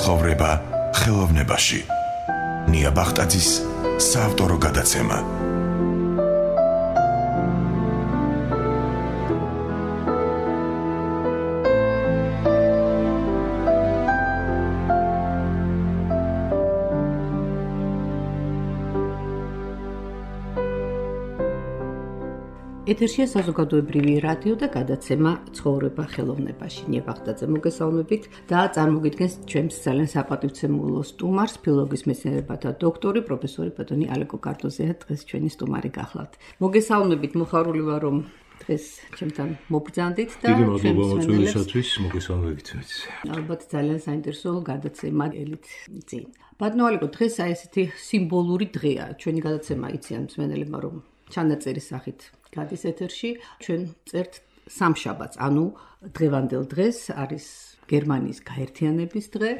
ცხოვრება ხელოვნებაში. ნია ბახტაძის საავტორო გადაცემა. ეთერშია საზოგადოებრივი რადიო და გადაცემა ცხოვრება ხელოვნებაში. ნია ბახტაძე მოგესალმებით და წარმოგიდგენს ჩემს ძალიან საპატივცემულო სტუმარს, ფილოლოგიის მეცნიერებათა დოქტორი, პროფესორი ბატონი ალეკო კარტოზია დღეს ჩვენი სტუმარი გახლავთ. მოგესალმებით, მოხარული ვარ რომ დღეს ჩემთან მობრძანდით და დიდი მადლობა მოწვევისათვის, მოგესალმებით. ალბათ ძალიან საინტერესო გადაცემა ელით წინ. ბატონო ალეკო, დღეს აი ესეთი სიმბოლური დღეა. ჩვენი გადაცემა იციან მსმენელებმა რომ ჩანაწერის სახით გადის ეთერში, ჩვენ წერთ სამშაბათს, ანუ დღევანდელ დღეს არის გერმანიის გაერთიანების დღე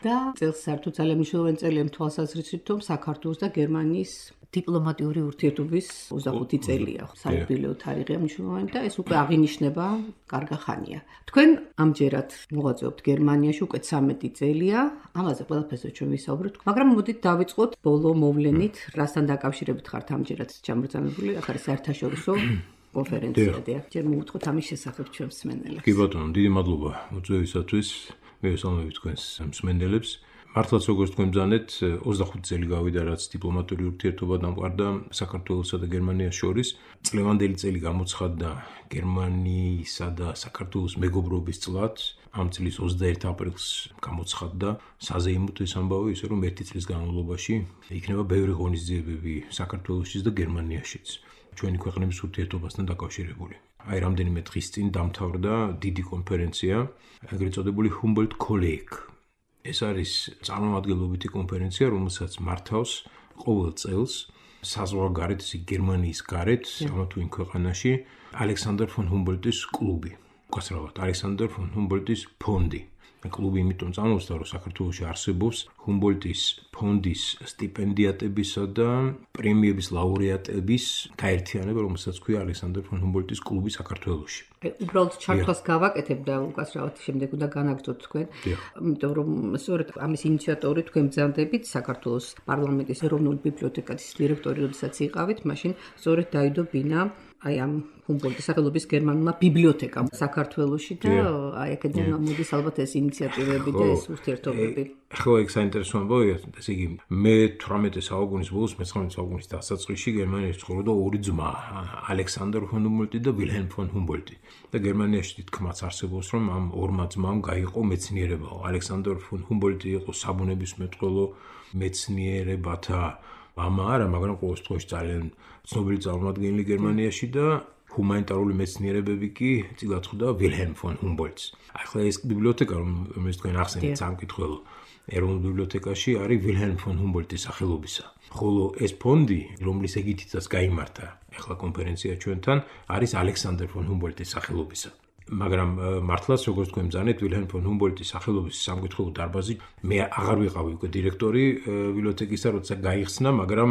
და წელს საერთოდ ძალიან მნიშვნელოვანი წელია თვალსაზრისით, რომ საქართველოს და გერმანიის დიპლომატიური ურთიერთობის 25 წელია. საიუბილეო თარიღია მნიშვნელოვანი და ეს უკვე აღინიშნება კარგა ხანია. თქვენ ამჯერად მოღვაწეობთ გერმანიაში უკვე 13 წელია, ამაზე ყველაფერზე ჩვენ ვისაუბროთ, მაგრამ მოდით დავიწყოთ ბოლო მოვლენით, რასთან დაკავშირებით ხართ ამჯერად ჩამბრძანებული, ახლა საერთაშორისო კონფერენციადია. ჯერ მოვუთხოთ ამის შესახებ ჩვენს მსმენელებს. კი ბატონო, დიდი მადლობა მოწვევისათვის. მივესალმებით თქვენს მსმენელებს. მართლაც როგორც თქვენ ბრძანეთ, 25 წელი გავიდა რაც დიპლომატიური ურთიერთობა დამყარდა საქართველოსა და გერმანიას შორის. წლევანდელი წელი გამოცხადდა გერმანიისა და საქართველოს მეგობრობის წლად. ამ წლის 21 აპრილს გამოცხადდა საზეიმოდ ეს ამბავი, ისე რომ 1 წლის განმავლობაში იქნება ბევრი ღონისძიებები საქართველოსშიც და გერმანიაშიც. ჩვენი ქვეყნების ურთიერთობასთან დაკავშირებული. აი რამდენიმე დღის წინ დამთავრდა დიდი კონფერენცია, ეგრეთ წოდებული Humboldt-Kolleg. ეს არის წარმომადგენლობითი კონფერენცია, რომელსაც მართავს ყოველ წელს საზღვარგარეთ, გერმანიის გარეთ, ამა თუ იმ ქვეყანაში ალექსანდრ ფონ ჰუმბოლდტის კლუბი. უკაცრავად, ალექსანდრ ფონ ჰუმბოლდტის ფონდი. კლუბი იმიტომ წამოსდა, რომ საქართველოში არსებობს ჰუმბოლდტის ფონდის სტიპენდიატებისა და პრემიების ლაურეატების გაერთიანება, რომელსაც ქვია ალექსანდრ ფონ ჰუმბოლდტის კლუბი საქართველოში. უბრალოდ ჩართვას გავაკეთებ და უკაცრავად შემდეგ უნდა განაგრძოთ თქვენ. იმიტომ რომ სწორედ ამის ინიციატორი თქვენ ბრძანდებით საქართველოს პარლამენტის ეროვნული ბიბლიოთეკის დირექტორი, როდესაც იყავით, მაშინ სწორედ დაიდო ბინა აი ამ ჰუმბოლდტის სახელობის გერმანულმა ბიბლიოთეკამ საქართველოში და აი აქედან მოდის ალბათ ეს ინიციატივები და ეს ურთიერთობები. ხო, ეგ საინტერესო ამბავია, ესე იგი მე-18 საუკუნის ბოლოს, მე-19 საუკუნის დასაწყისში გერმანიაში ცხოვრობდა ორი ძმა, ალექსანდრ ფონ ჰუმბოლდტი და ვილჰელმ ფონ ჰუმბოლდტი. და გერმანიაში თითქმაც არსებობს, რომ ამ ორმა ძმამ გაიყო მეცნიერება. ალექსანდრ ფონ ჰუმბოლდტი იყო საბუნებისმეტყველო მეცნიერებათა მამა არა, მაგრამ ყოველ შემთხვევაში ძალიან ცნობილი წარმომადგენელი გერმანიაში და ჰუმანიტარული მეცნიერებები კი წილად ხვდა ვილჰელმ ფონ ჰუმბოლდტს. ახლა ეს ბიბლიოთეკა, რომელიც თქვენ ახსენეთ სამკითხველო ეროვნულ ბიბლიოთეკაში არის ვილჰელმ ფონ ჰუმბოლდტის სახელობისა. ხოლო ეს ფონდი, რომლის ეგითაც გაიმართა ახლა კონფერენცია ჩვენთან, არის ალექსანდრ ფონ ჰუმბოლდტის სახელობისა. მაგრამ მართლაც როგორც თქვენ ბრძანეთ, ვილჰელმ ფონ ჰუმბოლდტის სახელობის სამკითხველო დარბაზი მე აღარ ვიყავი უკვე დირექტორი ბიბლიოთეკისა, როცა გაიხსნა, მაგრამ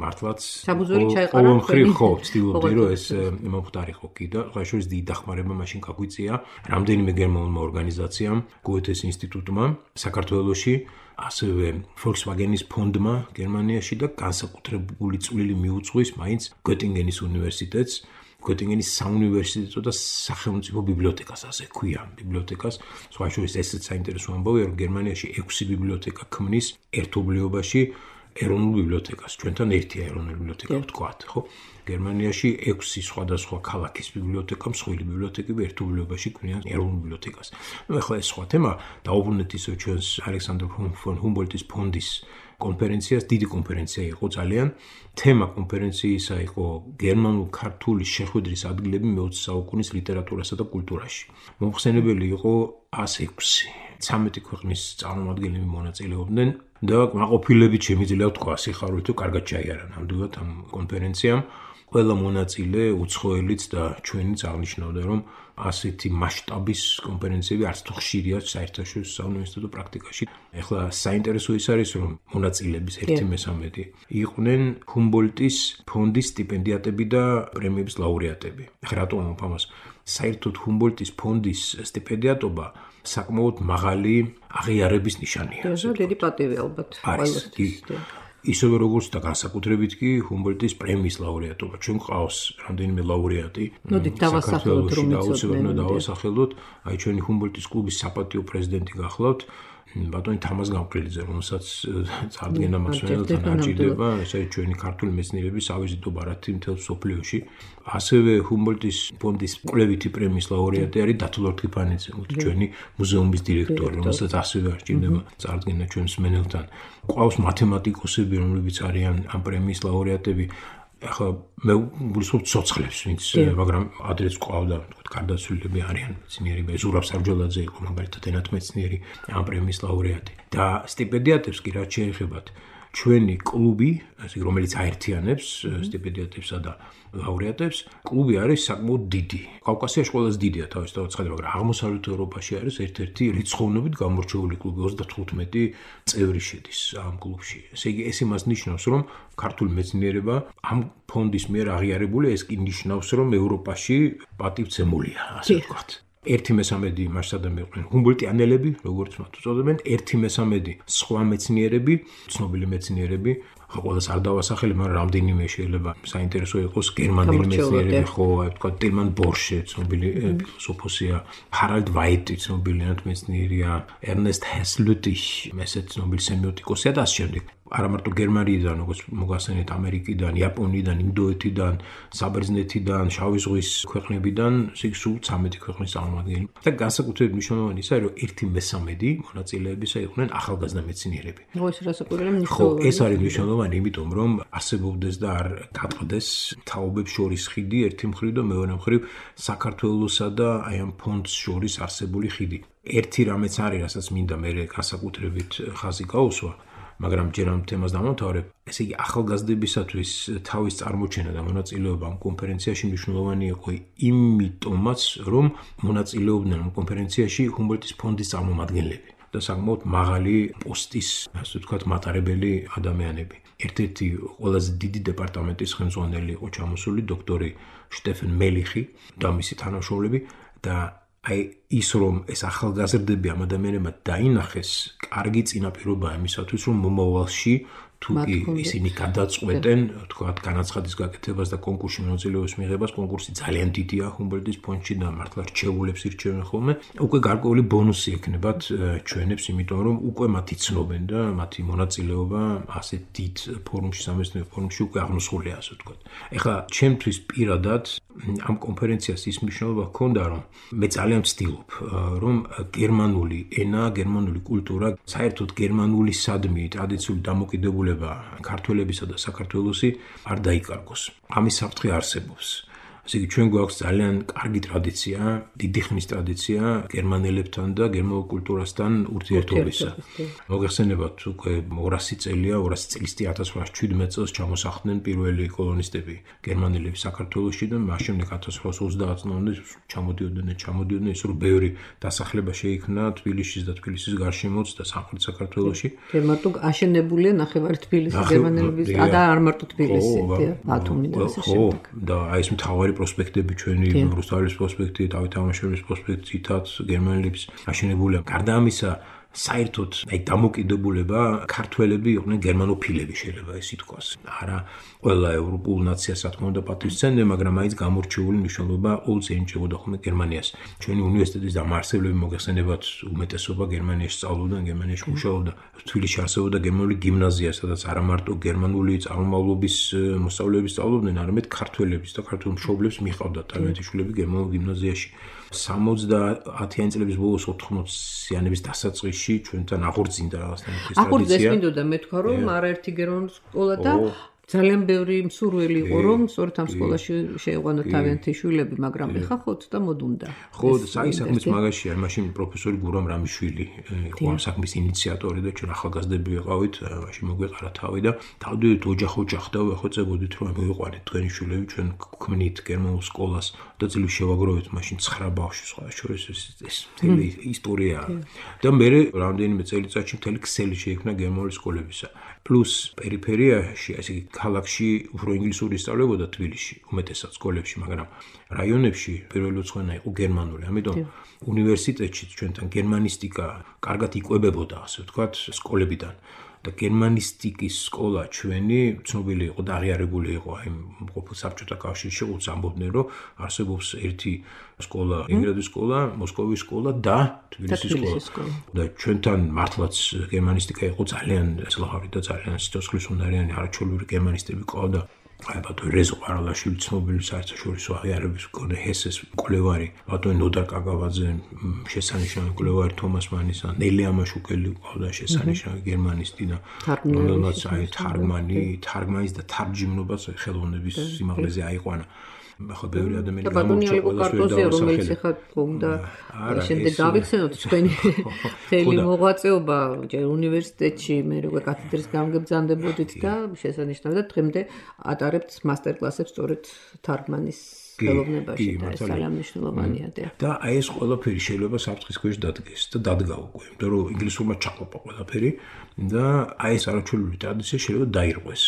მართლაც ყოველმხრივ ხო ვცდილობდი, რომ ეს მომხდარიყო კი და ხაშურის დიდი დახმარება მაშინ გაგვიწია რამდენიმე გერმანულმა ორგანიზაციამ, გოეთეს ინსტიტუტმა საქართველოში, ასევე Volkswagen-ის ფონდმა გერმანიაში და განსაკუთრებული წვლილი მიუძღვის მაინც გეტინგენის უნივერსიტეტს, გეტინგენის საუნივერსიტეტო და სახელმწიფო ბიბლიოთეკას, ასე ქვია ბიბლიოთეკას. სხვა შორის ესეც საინტერესო ამბავია, რომ გერმანიაში 6 ბიბლიოთეკა ქმნის ერთობლიობაში ეროვნულ ბიბლიოთეკას. ჩვენთან ერთია ეროვნული ბიბლიოთეკა ვთქვათ, ხო? გერმანიაში 6 სხვადასხვა ქალაქის ბიბლიოთეკა, მსხვილი ბიბლიოთეკები ერთობლიობაში ქმნიან ეროვნულ ბიბლიოთეკას. ახლა ეს სხვა თემა, დავუბრუნდეთ ისევ ჩვენს ალექსანდრ ფონ ჰუმბოლდტის ფონდის კონფერენციას, დიდი კონფერენცია იყო ძალიან. თემა კონფერენციისა იყო გერმანულ-ქართული შეხვედრის ადგილები მე-20 საუკუნის ლიტერატურასა და კულტურაში. მომხსენებელი იყო 106. 13 ქვეყნის წარმომადგენლები მონაწილეობდნენ და მაყოფილებით შემიძლია ვთქვა, სიხარულით თუ კარგად ჩაიარა ნამდვილად ამ კონფერენციამ. ყველა მონაწილე უცხოელიც და ჩვენიც აღნიშნავდა, რომ ასეთი მასშტაბის კონფერენციები არც თუ ხშირია საერთაშორისო საუნივერსიტეტო პრაქტიკაში. ეხლა საინტერესო ის არის, რომ მონაწილეების 1/13 იყვნენ ჰუმბოლდტის ფონდის სტიპენდიატები და პრემიების ლაურეატები. ეხლა რატომ ამას საერთოდ ჰუმბოლდტის ფონდის სტიპენდიატობა საკმაოდ მაღალი აღიარების ნიშანია. დიდი პატივი ალბათ ყველასთვის. ისევე როგორც და განსაკუთრებით კი ჰუმბოლდტის პრემიის ლაურეატობა. ჩვენ ყავს რამდენიმე ლაურეატი. მოდით დავასახელოთ, რომ იცოდნენ. დავასახელოთ. აი ჩვენი ჰუმბოლდტის კლუბის საპატიო პრეზიდენტი გახლავთ. ბატონი თამაზ გამყრილიძე, რომელსაც წარდგენა მასწავლებელთან აჭირდება, ესე ჩვენი ქართული მეცნიერების ავიზიტო ბარათი მთელ სოფლიოში. ასევე ჰუმბოლდტის ფონდის კვლევითი პრემიის ლაურეატი არის დათო ლორთქიფანიძე, ჩვენი მუზეუმის დირექტორი, რომელსაც ასევე აჭირდება წარდგენა ჩვენ მსმენელთან. ყავს მათემატიკოსები, რომლებიც არიან ამ პრემიის ლაურეატები. ახლა მე გულისხმობ ცოცხლებს, ვინც მაგრამ ადრეც ყავდა, თქო, გარდაცვლილები არიან მეცნიერები. ზურაბ სარჯოლაძე იყო მაგალითად ენათმეცნიერი ამ პრემიის ლაურეატი. და სტიპენდიატებს კი რაც შეეხებათ, ჩვენი კლუბი, ასე რომელიც აერთიანებს სტიპენდიატებსა და ლაურეატებს, კლუბი არის საკმაოდ დიდი. კავკასიაში ყველაზე დიდია თავისთავად ცხადია, მაგრამ აღმოსავლეთ ევროპაში არის ერთ-ერთი რიცხოვნობით გამორჩეული კლუბი, 35 წევრი შედის ამ კლუბში. ესე იგი, ეს იმას ნიშნავს, რომ ქართული მეცნიერება ამ ფონდის მიერ აღიარებული, ეს კი ნიშნავს, რომ ევროპაში პატივცემულია, ასე ვთქვათ. 1/3 მასშტაბები იყვნენ ჰუმბოლდტიანელები, როგორც მათ უწოდებენ, 1/3 სხვა მეცნიერები, ცნობილი მეცნიერები. ყველას არ დავასახელებ, მაგრამ რამდენიმე შეიძლება საინტერესო იყოს გერმანელი მეცნიერები, ხო, აი ვთქვათ, ტილმან ბორშე, ცნობილი ფილოსოფოსია, ჰარალდ ვაიტი, ცნობილი ენათმეცნიერია, ერნესტ ჰესლუტიშ, ესეც ცნობილი სემიოტიკოსია და ასე შემდეგ. არა მარტო გერმანიიდან, როგორც მოგახსენეთ, ამერიკიდან, იაპონიიდან, ინდოეთიდან, საბერძნეთიდან, შავი ზღვის ქვეყნებიდან, სულ 13 ქვეყნის წარმომადგენლები. და განსაკუთრებით მნიშვნელოვანი ისაა, რომ 1/3 მონაწილეებისა იყვნენ ახალგაზრდა მეცნიერები. ხო, ეს არის მნიშვნელოვანი, იმიტომ რომ არსებობდეს და არ გატყდეს თაობებს შორის ხიდი ერთი მხრივ და მეორე მხრივ საქართველოსა და აი ამ ფონდს შორის არსებული ხიდი. ერთი რამეც არის, რასაც მინდა მე განსაკუთრებით ხაზი გაუსვა. მაგრამ ჯერ ამ თემას დამთავრებ. ესე იგი, ახალგაზრდებისათვის თავის წარმოჩენა და მონაწილეობა ამ კონფერენციაში მნიშვნელოვანი იყო იმიტომაც, რომ მონაწილეობდნენ ამ კონფერენციაში ჰუმბოლდტის ფონდის წარმომადგენლები და საკმაოდ მაღალი პოსტის, ასე ვთქვათ, მატარებელი ადამიანები. ერთ-ერთი ყველაზე დიდი დეპარტამენტის ხელმძღვანელი იყო ჩამოსული დოქტორი შტეფენ მელიხი და მისი თანამშრომლები და აი ის რომ ეს ახალგაზრდები ამ ადამიანებმა დაინახეს, კარგი წინაპირობაა იმისათვის, რომ მომავალში თუ კი ისინი გადაწყვეტენ, თქვათ, განაცხადის გაკეთებას და კონკურსში მონაწილეობის მიღებას, კონკურსი ძალიან დიდია ჰუმბოლდტის ფონდში და მართლა რჩეულებს ირჩევენ ხოლმე. უკვე გარკვეული ბონუსი ექნებათ ჩვენებს, იმიტომ რომ უკვე მათი ცნობენ და მათი მონაწილეობა ასე დიდ ფორუმში, სამეცნიერო ფორუმში უკვე აღმოსულია, ასე ვთქვათ. ეხლა ჩემთვის პირადად ამ კონფერენციას ის მნიშვნელობა ჰქონდა, რომ მე ძალიან ვცდილობ, რომ გერმანული ენა, გერმანული კულტურა, საერთოდ გერმანული სადმი, ტრადიციული დამოკიდებულება ქართველებისა და საქართველოსი არ დაიკარგოს. ამის საფრთხე არსებობს. ესე იგი, ჩვენ გვაქვს ძალიან კარგი ტრადიცია, დიდი ხნის ტრადიცია გერმანელებთან და გერმანულ კულტურასთან ურთიერთობისა. მოგეხსენებათ, უკვე 200 წელია, 200 წლის წინ 1817 წელს ჩამოსახლდნენ პირველი კოლონისტები გერმანელები საქართველოში და მას შემდეგ 1830 წლამდე ჩამოდიოდნენ, ის რომ ბევრი დასახლება შეიქმნა თბილისში და თბილისის გარშემოც და სამხრეთ საქართველოში. მარტო აშენებულია ნახევარი თბილისი გერმანელების და არ მარტო თბილისი, ბათუმი და ასე შემდეგ. და აი ეს მთავარი პროსპექტები ჩვენი რუსთავის პროსპექტი, დავით ამაშელის პროსპექტი, თითაც გერმანელების აშენებულია. გარდა ამისა, საერთოდ აი დამოკიდებულება ქართველები იყვნენ გერმანოფილები, შეიძლება ეს ითქვას. არა ყველა ევროპულ ნაციას რა თქმა უნდა პატივისცემდნენ, მაგრამ მაინც გამორჩეული მნიშვნელობა όλს ენიჭებოდა ხოლმე გერმანიას. ჩვენი უნივერსიტეტის დამაარსებლები მოგეხსენებათ, უმეტესობა გერმანიაში სწავლობდა, გერმანიაში მუშაობდა. თბილისში არსებობდა გერმანული გიმნაზია, სადაც არა მარტო გერმანული წარმომავლობის მოსწავლეები სწავლობდნენ, არამედ ქართველების და ქართულ მშობლებს მიჰყავდათ თავიანთი შვილები გერმანულ გიმნაზიაში. 70-იანი წლების ბოლოს 80-იანების დასაწყისში ჩვენთან აღორძინდა რაღაცნაირი ტრადიცია. აღორძეს მინდოდა მე თქვა რომ არაერთი გერმანული სკოლა და ძალიან ბევრი მსურველი იყო რომ სწორედ ამ სკოლაში შეეყვანოთ თავიანთი შვილები, მაგრამ ეხა ხო ცოტა მოდუნდა. ხო, აი საქმის მაგაშია, მაშინ პროფესორი გურამ რამიშვილი იყო ამ საქმის ინიციატორი და ჩვენ ახალგაზრდები ვიყავით, მაშინ მოგვეყარა თავი და დავდივით ოჯახ-ოჯახ და ვეხვეწებოდით რომ მივიყვანეთ თქვენი შვილები, ჩვენ გვქმნით გერმანულ სკოლას და ძლივ შევაგროვეთ მაშინ 9 ბავშვი სხვა შორის ეს მთელი ისტორია. და მე რამდენიმე წელიწადში მთელი ქსელი შეიქმნა გერმანული სკოლებისა. პლუს პერიფერიაში, ასე ქალაქში უფრო ინგლისური ისწავლებოდა თბილისში, უმეტესად სკოლებში, მაგრამ რაიონებში პირველი უცხოენა იყო გერმანული. ამიტომ უნივერსიტეტში ჩვენთან გერმანისტიკა კარგად იკვებებოდა, ასე ვთქვათ, სკოლებიდან. და გერმანისტიკის სკოლა ჩვენი ცნობილი იყო და აღიარებული იყო აი ყოფილ საბჭოთა კავშირში, უც ამბობდნენ, რომ არსებობს ერთი სკოლა, ლენინგრადის სკოლა, მოსკოვის სკოლა და თბილისის სკოლა. და ჩვენთან მართლაც გერმანისტიკა იყო ძალიანძლავრი და ძალიან სიცოცხლისუნარიანი არაჩვეულებრივი გერმანისტები ყავდა. აი ბატონი რეზო ყარალაშვილი ცნობილი საერთაშორისო აღიარების მქონე ჰესეს მკვლევარი, ბატონი ნოდარ კაგავაძე, შესანიშნავი მკვლევარი თომას მანისა, ნელი ამაშუკელი ყავდა შესანიშნავი გერმანისტი და რომელმაც აი თარგმანის და თარჯიმნობას ხელოვნების სიმაღლეზე აიყვანა. ახლა ბევრი ადამიანი გამორჩა ყველასვე რომელიც ახლა გონდა შემდეგ გავიხსენოთ თქვენი მთელი მოღვაწეობა ჯერ უნივერსიტეტში მე როგორ კათედრის გამგებძანდებოდით და შესანიშნავი და დღემდე ატარებთ მასტერ-კლასებს სწორედ თარგმანის ხელოვნებაში და ეს ძალიან მნიშვნელოვანია და აი ეს ყველაფერი შეიძლება საფრთხის ქვეშ დადგეს და დადგა უკვე იმიტომ რომ ინგლისურმა ჩაყლაპა ყველაფერი და აი ეს არაჩვეულებრივი ტრადიცია შეიძლება დაირღვეს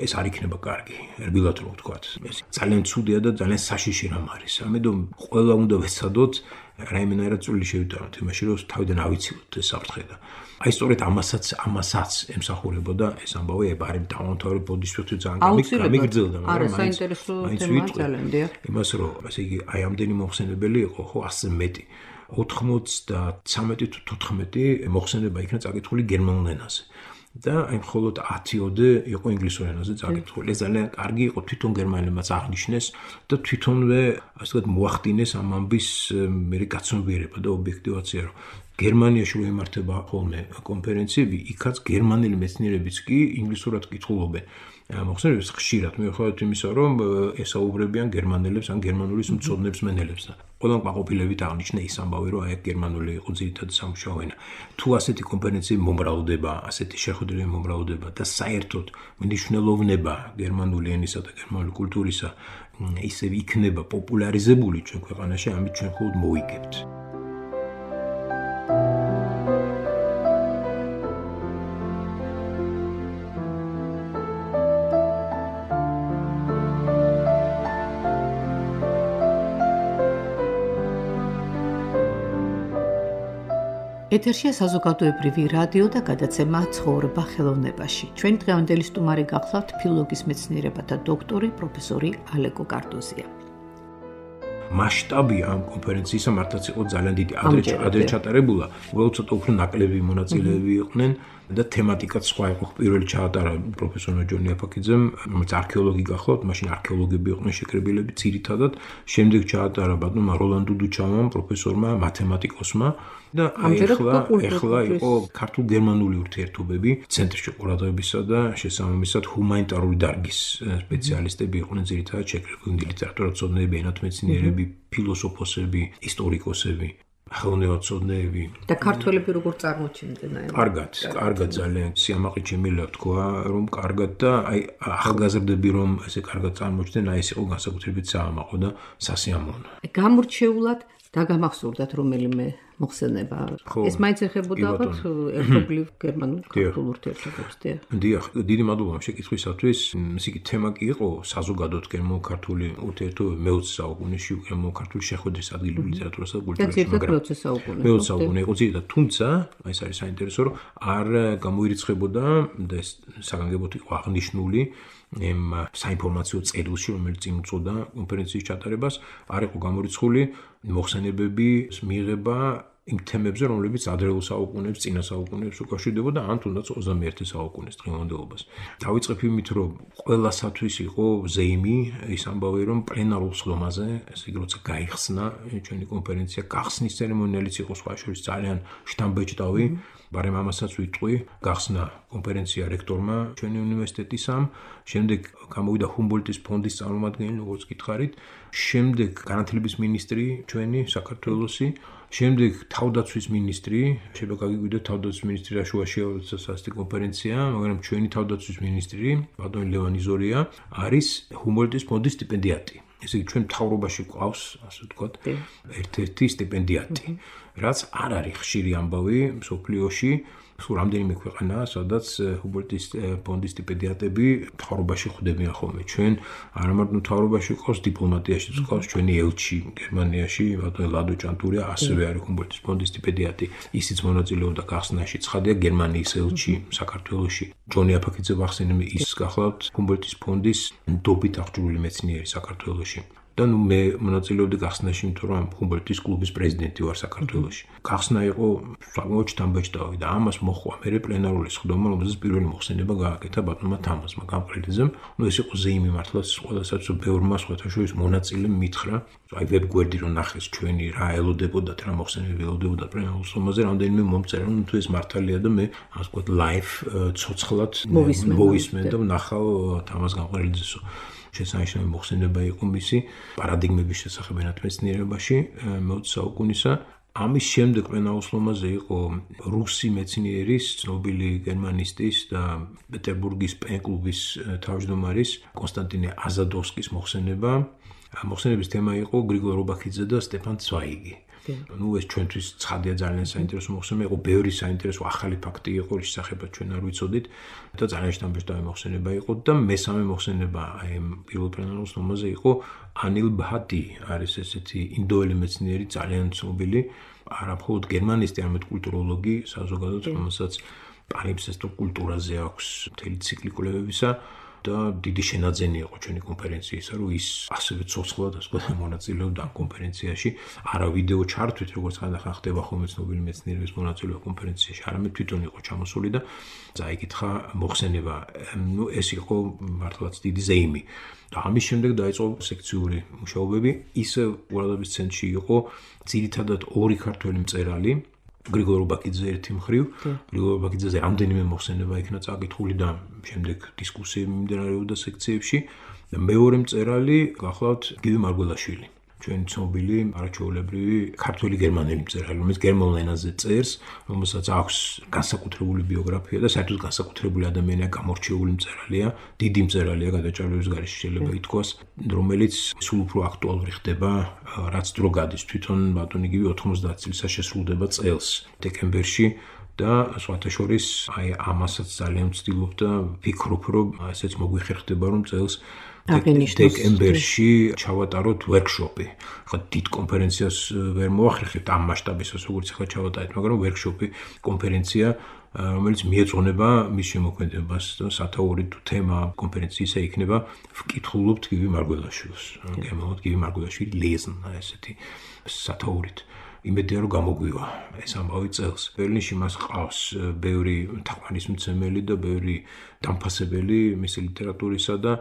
ეს არ იქნება კარგი ერბილად რომ ვთქვათ ეს ძალიან ცუდია და ძალიან საშიში რამ არის ამიტომ ყველა უნდა ვეცადოთ რაიმენერად წვლილი შევიტანოთ იმაში რომ თავიდან ავიცილოთ ეს საფრთხე და აი სწორედ ამასაც ემსახურებოდა ეს ამბავი ებარი დავამთავრე ბოდისფიტრი ძალიან გამიგრძელდა მაგრამ საინტერესო თემაა ძალიან დიახ იმას რომ ესე იგი აი ამდენი მოხსენებელი იყო ხო 100-ზე მეტი 93 თუ 14 მოხსენება იქნა წაკითხული გერმანულ ენაზე და აი მხოლოდ 10-ოდე იყო ინგლისურ ენაზე წაკითხული. ეს ძალიან კარგი იყო თვითონ გერმანელებმაც აღნიშნეს და თვითონვე ასე ვთქვათ მოახდინეს ამ ამბის მე გაცნობიერება და ობიექტივაცია რომ გერმანიაში რო იმართება ხოლმე კონფერენციები, იქაც გერმანელი მეცნიერებიც კი ინგლისურად კითხულობენ. მოხსენებს ხშირად მიუხედავად იმისა, რომ ესაუბრებიან გერმანელებს ან გერმანულის მცოდნებს მენელებს და ყველამ კმაყოფილებით აღნიშნა ის ამბავი, რომ აი გერმანული იყო ძირითადი სამუშაო ენა. თუ ასეთი კონფერენციები მომრავლდება, ასეთი შეხვედრები მომრავლდება და საერთოდ მნიშვნელოვნება გერმანული ენისა და გერმანული კულტურისა ისევ იქნება პოპულარიზებული ჩვენ ქვეყანაში, ამით ჩვენ მხოლოდ მოვიგებთ. ეთერშია საზოგადოებრივი რადიო და გადაცემა ცხოვრება ხელოვნებაში. ჩვენ დღევანდელი სტუმარი გახლავთ ფილოლოგიის მეცნიერებათა დოქტორი პროფესორი ალეკო კარდოზია. მასშტაბი ამ კონფერენციისა მართლაც იყო ძალიან დიდი. ადრე ჩატარებულა, უბრალოდ ცოტა უფრო ნაკლები მონაწილეები იყვნენ და თემატიკაც სხვა იყო. პირველი ჩაატარა პროფესორ ჯონი აფაკიძემ, რომელიც არქეოლოგი გახლავთ, მაშინ არქეოლოგები იყვნენ შეკრებილები ძირითადად. შემდეგ ჩაატარა ბატონმა როლან დუდუჩავამ, პროფესორმა მათემატიკოსმა და ახლა იყო ქართულ-გერმანული ურთიერთობები ცენტრში ყურადღებისა და შესაბამისად ჰუმანიტარული დარგის სპეციალისტები იყვნენ ძირითადად შეკრებილი ლიტერატურათმცოდნეები, ენათმეცნიერები, ფილოსოფოსები, ისტორიკოსები. ხელოვნებაცოდნეები და ქართველები როგორ წარმოჩენდნენ აი კარგად ძალიან სიამაყით შემიძლია თქვა რომ კარგად და აი ახალგაზრდები რომ ესე კარგად წარმოჩნდნენ აი ეს იყო განსაკუთრებით საამაყო და სასიამოვნო გამორჩეულად დაგამახსოვრდათ რომელიმე მოხსენება ეს მაინც ეხებოდა ალბათ ერთობლივ გერმანულ ქართულ ურთიერთობებს დიახ დიდი მადლობა შეკითხვისათვის ის იგი თემა კი იყო საზოგადოდ გერმანო-ქართული ურთიერთობები მე-20 საუკუნეში გერმანო-ქართული შეხვედრის ადგილობრივ ლიტერატურასა და კულტურაში მაგრამ მე-20 საუკუნე იყო ძირითადად თუმცა ეს არის საინტერესო რომ არ გამოირიცხებოდა და ეს საგანგებოდ იყო აღნიშნული იმ საინფორმაციო წერილში რომელიც წინ უწოდა კონფერენციის ჩატარებას არ იყო გამორიცხული მოხსენებები მიიღება იმ თემებზე რომლებიც ადრეულ საუკუნეებს წინა საუკუნეებს უკავშირდებოდა ან თუნდაც 21 საუკუნის დღევანდელობას დავიწყებ იმით რომ ყველასათვის იყო ზეიმი ის ამბავი რომ პლენარულ სხდომაზე ესე იგი როცა გაიხსნა ჩვენი კონფერენცია გახსნის ცერემონიალიც იყო სხვა შორის ძალიან შთამბეჭდავი ბარემ ამასაც ვიტყვი გახსნა კონფერენცია რექტორმა ჩვენი უნივერსიტეტისამ შემდეგ გამოვიდა ჰუმბოლდტის ფონდის წარმომადგენელი როგორც გითხარით შემდეგ განათლების მინისტრი ჩვენი საქართველოსი შემდეგ თავდაცვის მინისტრი შეიძლება გაგიგვიდოთ თავდაცვის მინისტრი რა შუაშია როცა ასეთი კონფერენცია მაგრამ ჩვენი თავდაცვის მინისტრი ბატონი ლევან იზორია არის ჰუმბოლდტის ფონდის სტიპენდიატი ესე იგი ჩვენ მთავრობაში ყავს ასე ვთქვათ ერთ-ერთი სტიპენდიატი რაც არ არის ხშირი ამბავი მსოფლიოში სულ რამდენიმე ქვეყანაა, სადაც ჰუმბოლდტის ფონდის სტიპენდიატები მთავრობაში ხვდებიან ხოლმე. ჩვენ არა მარტო მთავრობაში ყავს, დიპლომატიაში ყავს, ჩვენი ელჩი გერმანიაში, ბატონი ლადო ჭანტურია, ასევე არის ჰუმბოლდტის ფონდის სტიპენდიატი. ისიც მონაწილეობდა გახსნაში. ცხადია, გერმანიის ელჩი საქართველოში. ჯონი აფაქიძე ვახსენებ, ის გახლავთ ჰუმბოლდტის ფონდის ნდობით აღჭურვილი მეცნიერი საქართველოში. და მე მონაწილეობდი გახსნაში, იმიტომ რომ ჰუმბოლდტის კლუბის პრეზიდენტი ვარ საქართველოში. გახსნა იყო საკმაოდ ჩთამბეჭდავი და ამას მოხვა მე პლენარული სხდომა, რომელზეც პირველი მოხსენება გააკეთა ბატონმა თამაზმა გამყრელიძემ. ეს იყო ზეიმი მართლაც ყველასაც ბევრმა სხვათაშორის მონაწილემ მითხრა. აი ვებგვერდი რომ ნახეს ჩვენი რა ელოდებოდათ, რა მოხსენები ელოდებოდა პლენარულ სხდომაზე, რამდენიმე მომწერა, თუ ეს მართალია და მე ასე ვთქვათ ლაივ ცოცხლად მოვისმენ და ვნახავ თამაზ გამყრელიძესო. შესანიშნავი მოხსენება იყო მისი პარადიგმების შესახებ ენათმეცნიერებაში მე-20 საუკუნისა. ამის შემდეგ პლენარულ სხდომაზე იყო რუსი მეცნიერის, ცნობილი გერმანისტის და პეტერბურგის პენ-კლუბის თავმჯდომარის კონსტანტინე აზადოვსკის მოხსენება. მოხსენების თემა იყო გრიგოლ რობაქიძე და სტეფან ცვაიგი. ეს ჩვენთვის ცხადია ძალიან საინტერესო მოხსენება იყო, ბევრი საინტერესო ახალი ფაქტი იყო, რის შესახებაც ჩვენ არ ვიცოდით და ძალიან შთამბეჭდავი მოხსენება იყო და მესამე მოხსენება აი პირველ პლენარულ სხდომაზე იყო ანილ ბჰატი, არის ესეთი ინდოელი მეცნიერი, ძალიან ცნობილი, არა მხოლოდ გერმანისტი, არამედ კულტუროლოგი, საზოგადოებრივ, რომელსაც პალიმსესტო კულტურაზე აქვს მთელი ციკლი კვლევებისა. და დიდი შენაძენი იყო ჩვენი კონფერენციისა, რომ ის ასევე ცოცხლად ასე ვთქვათ მონაწილეობდა ამ კონფერენციაში, არა ვიდეო ჩართვით, როგორც ხანდახან ხდება ხოლმე ცნობილი მეცნიერების მონაწილეობა კონფერენციაში, არამედ თვითონ იყო ჩამოსული და წაიკითხა მოხსენება. ეს იყო მართლაც დიდი ზეიმი. და ამის შემდეგ დაიწყო სექციური მუშაობები. ისე ყურადღების ცენტრში იყო ძირითადად ორი ქართველი მწერალი. გრიგოლ რობაქიძე ერთი მხრივ, გრიგოლ რობაქიძეზე რამდენიმე მოხსენება იქნა წაკითხული და შემდეგ დისკუსიები მიმდინარეობდა სექციებში. და მეორე მწერალი გახლავთ გივი მარგველაშვილი. ჩვენი ცნობილი არაჩვეულებრივი ქართველი გერმანელი მწერალი, რომელიც გერმანულ ენაზე წერს, რომელსაც აქვს განსაკუთრებული ბიოგრაფია და საერთოდ განსაკუთრებული ადამიანია, გამორჩეული მწერალია, დიდი მწერალია გადაჭარბების გარეშე შეიძლება ითქვას, რომელიც სულ უფრო აქტუალური ხდება, რაც დრო გადის. თვითონ ბატონი გივი 90 წელს შესრულდება წელს დეკემბერში. და სხვათა შორის აი ამასაც ძალიან ვცდილობ და ვფიქრობ, რომ ესეც მოგვიხერხდება, რომ წელს დეკემბერში ჩავატაროთ ვერკშოპი. ხა დიდ კონფერენციას ვერ მოახერხებთ ამ მასშტაბისას, როგორც ახლა ჩავატარეთ, მაგრამ ვერკშოპი, კონფერენცია, რომელიც მიეძღვნება მის შემოქმედებას და სათაური თუ თემა კონფერენციისა იქნება ვკითხულობთ გივი მარგველაშვილს. გემოვნებთ გივი მარგველაშვილი ლეზნ, ესეთი სათაურით. იმედია რომ გამოგვივა ეს ამბავი წელს. ბერლინში მას ყავს ბევრი თაყვანისმცემელი და ბევრი დამფასებელი მისი ლიტერატურისა და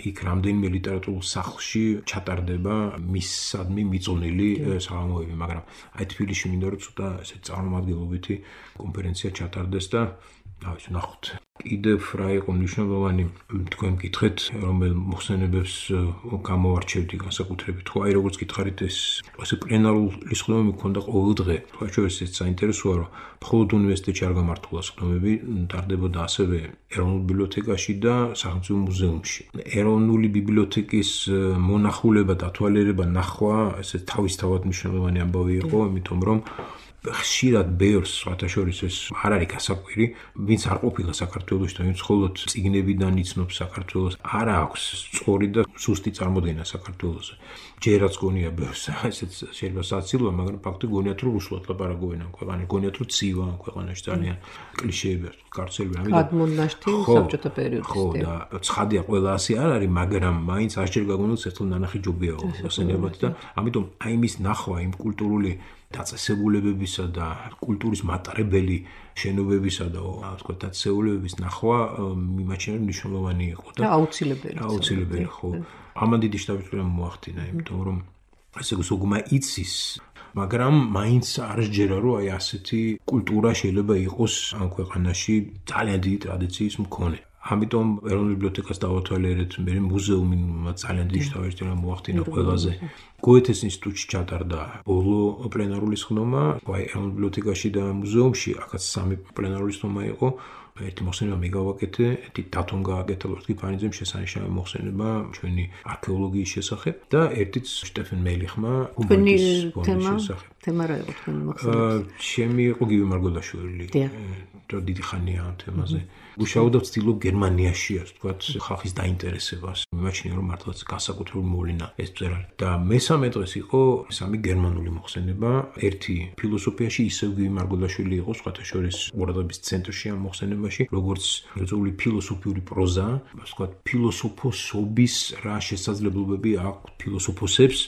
იქ რამდენიმე ლიტერატურულ სახლში ჩატარდება მისადმი მიწონილი საღამოები, მაგრამ აი თბილისში მინდა რომ ცოტა ესე წარმომადგენლობითი კონფერენცია ჩატარდეს და დავით ნახოთ. კიდევ რა იყო მნიშვნელოვანი თქვენ მკითხეთ, რომელ მოხსენებებს გამოვარჩევდი განსაკუთრებით. ხო, აი როგორც გითხარით, ეს ასე პლენარული სხდომები მქონდა ყოველ დღე. თქვა ეს საინტერესოა, რომ მხოლოდ უნივერსიტეტში არ გამართულა სხდომები, ტარდებოდა ასევე ეროვნულ ბიბლიოთეკაში და სახელმწიფო მუზეუმში. ეროვნული ბიბლიოთეკის მონახულება, დათვალიერება, ნახვა, ესე თავისთავად მნიშვნელოვანი ამბავი იყო, იმიტომ რომ ხშირად ბევრს სხვათა შორის ეს არ არის გასაკვირი, ვინც არ ყოფილა საქართველოში და ვინც მხოლოდ წიგნებიდან იცნობს საქართველოს, არ აქვს სწორი და ზუსტი წარმოდგენა საქართველოზე. ჯერაც გონია ბევრს, ესეც შეიძლება საცილოა, მაგრამ ფაქტი გონიათ რომ რუსულად ლაპარაკობენ ამ ქვეყანაში, გონიათ რომ ცივა ამ ქვეყანაში ძალიან კლიშეები აქვს, კარცელები, ამიტომ გადმონაშთი საბჭოთა პერიოდის. ხო, და ცხადია ყველა ასე არ არის, მაგრამ მაინც არჩევ გაგონილს ერთხელ ნანახი ჯობია მოსენებად და ამიტომ აი მის ნახვა იმ კულტურული დაწესებულებებისა და კულტურის მატარებელი შენობებისა და თქვა დაწესებულებების ნახვა მიმაჩნია მნიშვნელოვანი იყო და აუცილებელი ხო. ამან დიდი შთაბეჭდილება მოახდინა, იმიტომ რომ ესე გასაგუმა იცის, მაგრამ მაინც არ შეჯერა რომ აი ასეთი კულტურა შეიძლება იყოს ამ ქვეყანაში ძალიან დიდი ტრადიციის მქონე. ამიტომ ეროვნულ ბიბლიოთეკას დავათვალიერეთ, მე მუზეუმი ძალიან დიდი შთაბეჭდილება მოახდინა ყველაზე. გოეთეს ინსტიტუტში ჩატარდა ბოლო პლენარული სხდომა, აი ეროვნულ ბიბლიოთეკაში და მუზეუმში, აქაც სამი პლენარული სხდომა იყო. ერთი მოხსენება მე გავაკეთე, ერთი დათომ გააკეთა ლორდ ფანიძემ შესანიშნავი მოხსენება ჩვენი არქეოლოგიის შესახებ და ერთიც შტეფენ მელიხმა ჰუმბოლდტის შესახებ. თემა რა იყო თქვენი მოხსენება? ჩემი იყო გივი მარგველაშვილი. რა დიდი ხანია ამ თემაზე. გუშაობდა ვცდილობ გერმანიაში, ასე ვთქვათ, ხალხის დაინტერესებას. მიმაჩნია რომ მართლაც განსაკუთრებული მოვლენა ეს მწერალი. და მესამე დღეს იყო სამი გერმანული მოხსენება. ერთი ფილოსოფიაში ისევ გივი მარგველაშვილი იყო, სხვათა შორის ყურადღების ცენტრში ამ მოხსენებაში, როგორც ერთეული ფილოსოფიური პროზა, ასე ვთქვათ, ფილოსოფოსობის რა შესაძლებლობები აქვს ფილოსოფოსებს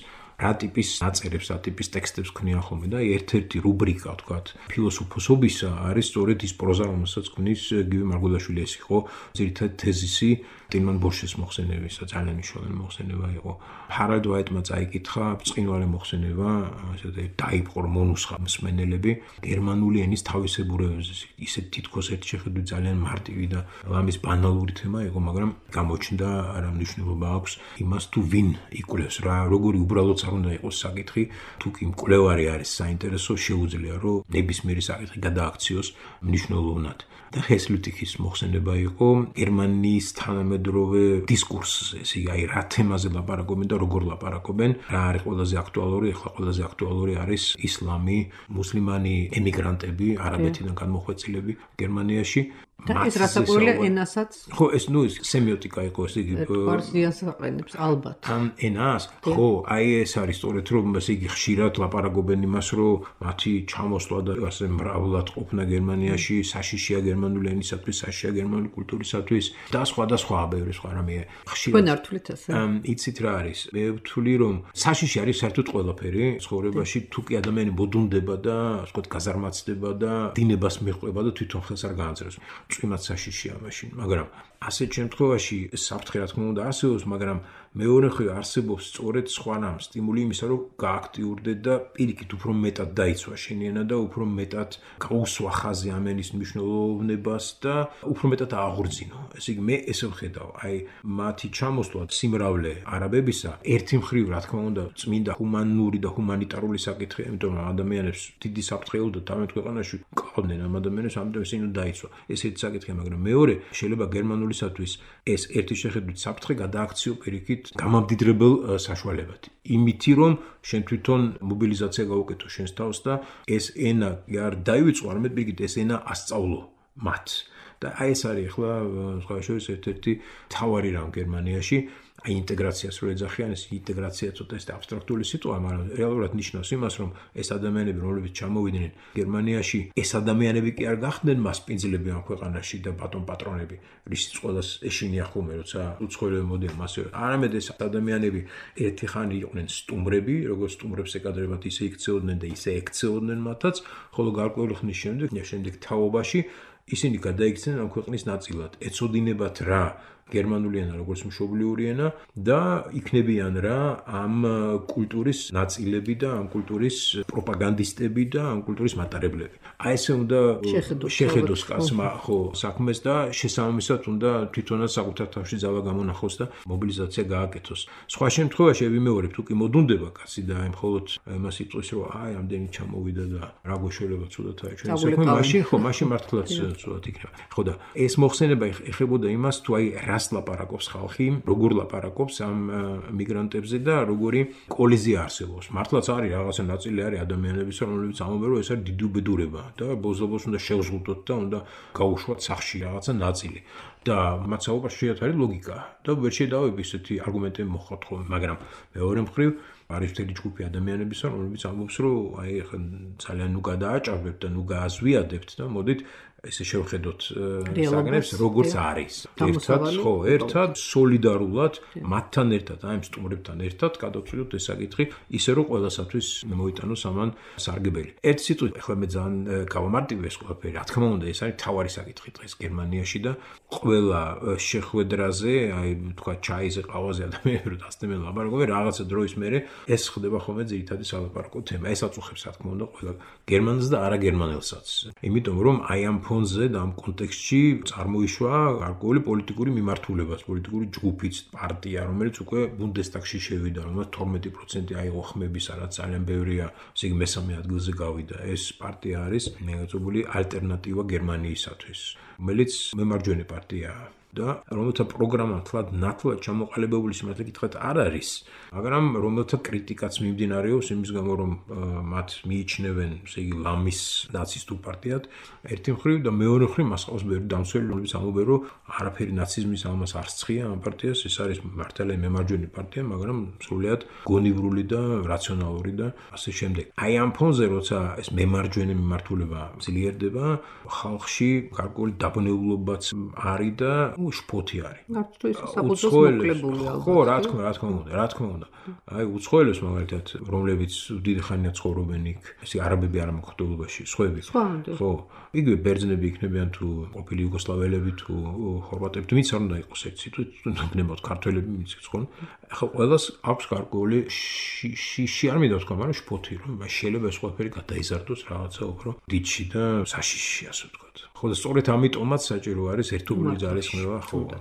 რა ტიპის ნაწერებს, რა ტიპის ტექსტებს ქმნიან ხოლმე და ერთ-ერთი რუბრიკა, ვთქვათ, ფილოსოფოსობისა არის სწორედ ის პროზა, რომელსაც ქმნის გივი მარგველაშვილი. ეს იყო ძირითადად თეზისი ტილმან ბოშეს მოხსენებისა, ძალიან მნიშვნელოვანი მოხსენება იყო. ჰარალდ ვაიტმა წაიკითხა ბრწყინვალე მოხსენება, ესე დაიპყრო მონუსხა მსმენელები გერმანული ენის თავისებურებაზე. ისე თითქოს ერთ შეხედვით ძალიან მარტივი და ამის ბანალური თემა იყო, მაგრამ გამოჩნდა რა მნიშვნელობა აქვს იმას თუ ვინ იკვლევს რა, როგორი უბრალოდ არ უნდა იყოს საკითხი, თუ კი მკვლევარი არის საინტერესო, შეუძლია რომ ნებისმიერი საკითხი გადააქციოს მნიშვნელოვნად. და ჰესლუტიხის მოხსენება იყო გერმანიის თანამედროვე დისკურსზე, ესე იგი, აი რა თემაზე ლაპარაკობენ და როგორ ლაპარაკობენ, რა არის ყველაზე აქტუალური, ახლა ყველაზე აქტუალური არის ისლამი, მუსლიმანი ემიგრანტები, არაბეთიდან განმოხვეწილები გერმანიაში. და ეს რასაკვირველია ენასაც? ხო, ეს სემიოტიკა იყო, ესე იგი, პარსიას აყენებს ალბათ. ამ ენას, ხო, აი ეს არის სწორედ რომ ესე იგი ხშირად ლაპარაკობენ იმას, რომ მათი ჩამოსვლა და ასე მრავლად ყოფნა გერმანიაში საშიშია გერმანული ენისათვის, საშიშია გერმანული კულტურისათვის და სხვა ბევრი სხვა რამე ხშირად. თქვენ არ თვლით ასე? იცით რა არის? მე ვთვლი რომ საშიში არის საერთოდ ყველაფერი ცხოვრებაში, თუ კი ადამიანი მოდუნდება და ასე ვთქვათ გაზარმაცდება და დინებას მიყვება და თვითონ ხელს არ გაანწრებს. წვიმაც საშიშია მაშინ, მაგრამ ასეთ შემთხვევაში საფრთხე რა თქმა უნდა არსებობს, მაგრამ მეორე მხრივ არსებობს სწორედ სხვა რამ სტიმული იმისა, რომ გააქტიურდეთ და პირიქით უფრო მეტად დაიცვა შენი ენა და უფრო მეტად გაუსვა ხაზი ამ ენის მნიშვნელოვნებას და უფრო მეტად აღორძინო. ესე იგი, მე ესე ვხედავ, აი მათი ჩამოსვლა სიმრავლე არაბებისა, ერთი მხრივ რა თქმა უნდა წმინდა ჰუმანური და ჰუმანიტარული საკითხია, იმიტომ რომ ადამიანებს დიდი საფრთხე ელოდა თავად ქვეყანაში ყავდნენ ამ ადამიანებს, ამიტომ ისინი დაიცვა. ეს ერთი საკითხია, მაგრამ მეორე შეიძლება გერმანულისათვის ეს ერთი შეხედვით საფრთხე გადააქციო პირიქით გამამდიდრებელ საშუალებად. იმითი რომ შენ თვითონ მობილიზაცია გაუკეთო შენს თავს და ეს ენა არ დაივიწყო, არამედ პირიქით ეს ენა ასწავლო მათ. და აი ეს არის ახლა სხვა შორის ერთ-ერთი თავარი რამ გერმანიაში. აი ინტეგრაციას რო ეძახიან, ეს ინტეგრაცია ცოტა ეს აბსტრაქტული სიტყვა, მაგრამ რეალურად ნიშნავს იმას, რომ ეს ადამიანები, რომლებიც ჩამოვიდნენ გერმანიაში, ეს ადამიანები კი არ გახდნენ მასპინძლები ამ ქვეყანაში და ბატონ პატრონები, რისიც ყველას ეშინია ხოლმე, როცა უცხოელები მოდიან მასე. არამედ ეს ადამიანები ერთი ხანი იყვნენ სტუმრები, როგორც სტუმრებს ეკადრებათ, ისე იქცეოდნენ და ისე ექცეოდნენ მათაც, ხოლო გარკვეული ხნის შემდეგ თაობაში ისინი გადაიქცნენ ამ ქვეყნის ნაწილად. ეცოდინებათ რა გერმანული ენა როგორც მშობლიური ენა და იქნებიან რა ამ კულტურის ნაწილები და ამ კულტურის პროპაგანდისტები და ამ კულტურის მატარებლები. აი ესე უნდა შეხედოს კაცმა ხო საქმეს და შესაბამისად უნდა თვითონაც საკუთარ თავში ძალა გამონახოს და მობილიზაცია გააკეთოს. სხვა შემთხვევაში ვიმეორებ, თუ კი მოდუნდება კაცი და აი მხოლოდ იმას იტყვის, რომ აი ამდენი ჩამოვიდა და რა გვეშველება ცუდად აი ჩვენ საქმე, მაშინ მართლაც ცუდად იქნება. ხო და ეს მოხსენება ეხებოდა იმას, თუ აი რას ლაპარაკობს ხალხი, როგორ ლაპარაკობს ამ მიგრანტებზე და როგორი კოლიზია არსებობს. მართლაც არის რაღაცა ნაწილი არის ადამიანების, რომლებიც ამბობენ, რომ ეს არის დიდი უბედურება და ბოლოს უნდა შევზღუდოთ და უნდა გაუშვათ სახში რაღაცა ნაწილი. და მათ საუბარში არის ლოგიკა და ვერ შედავები ესეთი არგუმენტები მოხდათ ხოლმე, მაგრამ მეორე მხრივ არის მთელი ჯგუფი ადამიანების, რომლებიც ამბობს, რომ აი ახლა ძალიან ნუ გადააჭარბებთ და ნუ გააზვიადებთ და მოდით ესე შევხედოთ საგნებს როგორც არის. ერთად სოლიდარულად მათთან ერთად, აი ამ სტუმრებთან ერთად გადავწყვიტოთ ეს საკითხი, ისე რომ ყველასათვის მოიტანოს ამან სარგებელი. ერთი სიტყვით, ახლა მე ძალიან გავამარტივე ეს ყველაფერი. რა თქმა უნდა, ეს არის თავარი საკითხი დღეს გერმანიაში და ყველა შეხვედრაზე, აი თქვა ჩაიზე, ყავაზე ადამიანები რო დასწრებენ ლაპარაკობენ, რაღაცა დროის მერე ეს ხდება ხოლმე ძირითადი სალაპარაკო თემა. ეს აწუხებს რა თქმა უნდა ყველა გერმანელს და არაგერმანელსაც. იმიტომ რომ აი ამ ფონზე და ამ კონტექსტში წარმოიშვა გარკვეული პოლიტიკური მიმართულებას, პოლიტიკური ჯგუფიც, პარტია, რომელიც უკვე ბუნდესტაგში შევიდა, რომელსაც 12% აიღო ხმებისა, რაც ძალიან ბევრია, ესე იგი მესამე ადგილზე გავიდა. ეს პარტია არის მეგაწებული ალტერნატივა გერმანიისათვის, რომელიც მემარჯვენე პარტიაა. და რომელთა პროგრამა ნათლად ჩამოყალიბებული სიმართლე გითხრათ არ არის, მაგრამ რომელთა კრიტიკაც მიმდინარეობს იმის გამო, რომ მათ მიიჩნევენ, ესე იგი, ლამის ნაცისტურ პარტიად, ერთი მხრივ და მეორე მხრივ მას ყავს ბევრი დამცველი, რომლებიც ამბობენ, რომ არაფერი ნაციზმის ამას არ სცხია ამ პარტიას, ეს არის მართალია მემარჯვენე პარტია, მაგრამ სრულიად გონივრული და რაციონალური და ასე შემდეგ. აი ამ ფონზე, როცა ეს მემარჯვენე მიმართულება ძლიერდება, ხალხში გარკვეული დაბნეულობაც არის და შფოთი არის. არც თუ ისე საფუძველს მოკლებული ალბათ. ხო, რა თქმა უნდა. აი უცხოელებს მაგალითად, რომლებიც დიდი ხანია ცხოვრობენ იქ, ესე არაბები არ მოხდულობაში, სხვები. ხო, იგივე ბერძნები იქნებიან თუ ყოფილი იუგოსლავიელები თუ ხორვატები, თუმცა არ უნდა იყოს ერთ სიტუაცია, ნებოთ ქართველები მიციქს ხო? ახლა ყველას აქვს გარკვეული შიში არ მინდა ვთქვა, მაგრამ შფოთი რომ შეიძლება ეს ყველაფერი გადაიზარდოს რაღაცა უფრო დიდში და საშიში ასე ვთქვათ. ხო და სწორედ ამიტომაც საჭირო არის ერთობლივი ძალისხმევა ხო და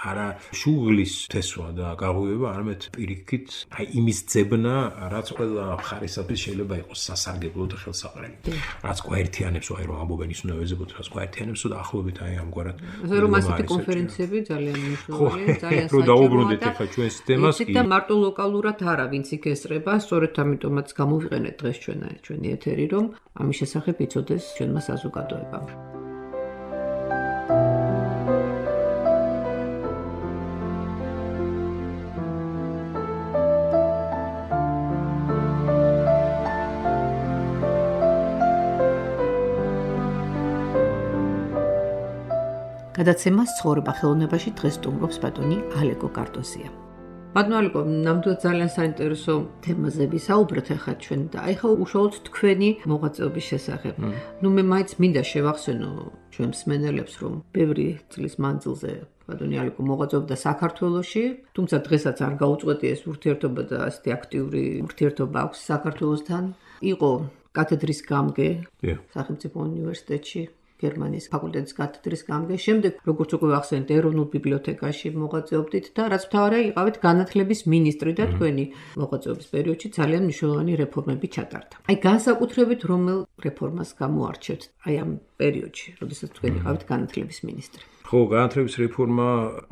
არა შუღლის თესვა და გაღვივება, არამედ პირიქით აი იმის ძებნა, რაც ყველა მხარისათვის შეიძლება იყოს სასარგებლო და ხელსაყრელი. რაც გვაერთიანებს, აი რომ ამბობენ ის უნდა ვეზებოთ, რაც გვაერთიანებს და ახლობით აი ამგვარად. ასე რომ ასეთი კონფერენციები ძალიან მნიშვნელოვანია, ძალიან საჭიროა. დავუბრუნდეთ ახლა ჩვენს თემას კი. და მარტო ლოკალურად არა, ვინც იქ ესწრება, სწორედ ამიტომაც გამოვიყენეთ დღეს ჩვენი ეთერი, რომ ამის შესახებ იცოდეს ჩვენმა საზოგადოებამ. გადაცემას ცხოვრება ხელოვნებაში დღეს სტუმრობს ბატონი ალეკო კარტოზია. ბატონო ალეკო, ნამდვილად ძალიან საინტერესო თემაზე ვისაუბრეთ ახლა ჩვენ და აი ხა უშუალოდ თქვენი მოღვაწეობის შესახებ. მე მაინც მინდა შევახსენო ჩვენ მსმენელებს, რომ ბევრი წლის მანძილზე ბატონი ალეკო მოღვაწეობდა საქართველოში, თუმცა დღესაც არ გაუწყვეტი ეს ურთიერთობა და ასეთი აქტიური ურთიერთობა აქვს საქართველოსთან. იყო კათედრის გამგე სახელმწიფო უნივერსიტეტში. გერმანიის ფაკულტეტის კათედრის გამგე, შემდეგ როგორც უკვე ახსენეთ, ეროვნულ ბიბლიოთეკაში მოღვაწეობდით და რაც მთავარია, იყავით განათლების მინისტრი და თქვენი მოღვაწეობის პერიოდში ძალიან მნიშვნელოვანი რეფორმები ჩატარდა. აი განსაკუთრებით რომელ რეფორმას გამოარჩევთ აი ამ პერიოდში, როდესაც თქვენ იყავით განათლების მინისტრი? ხო, განათლების რეფორმა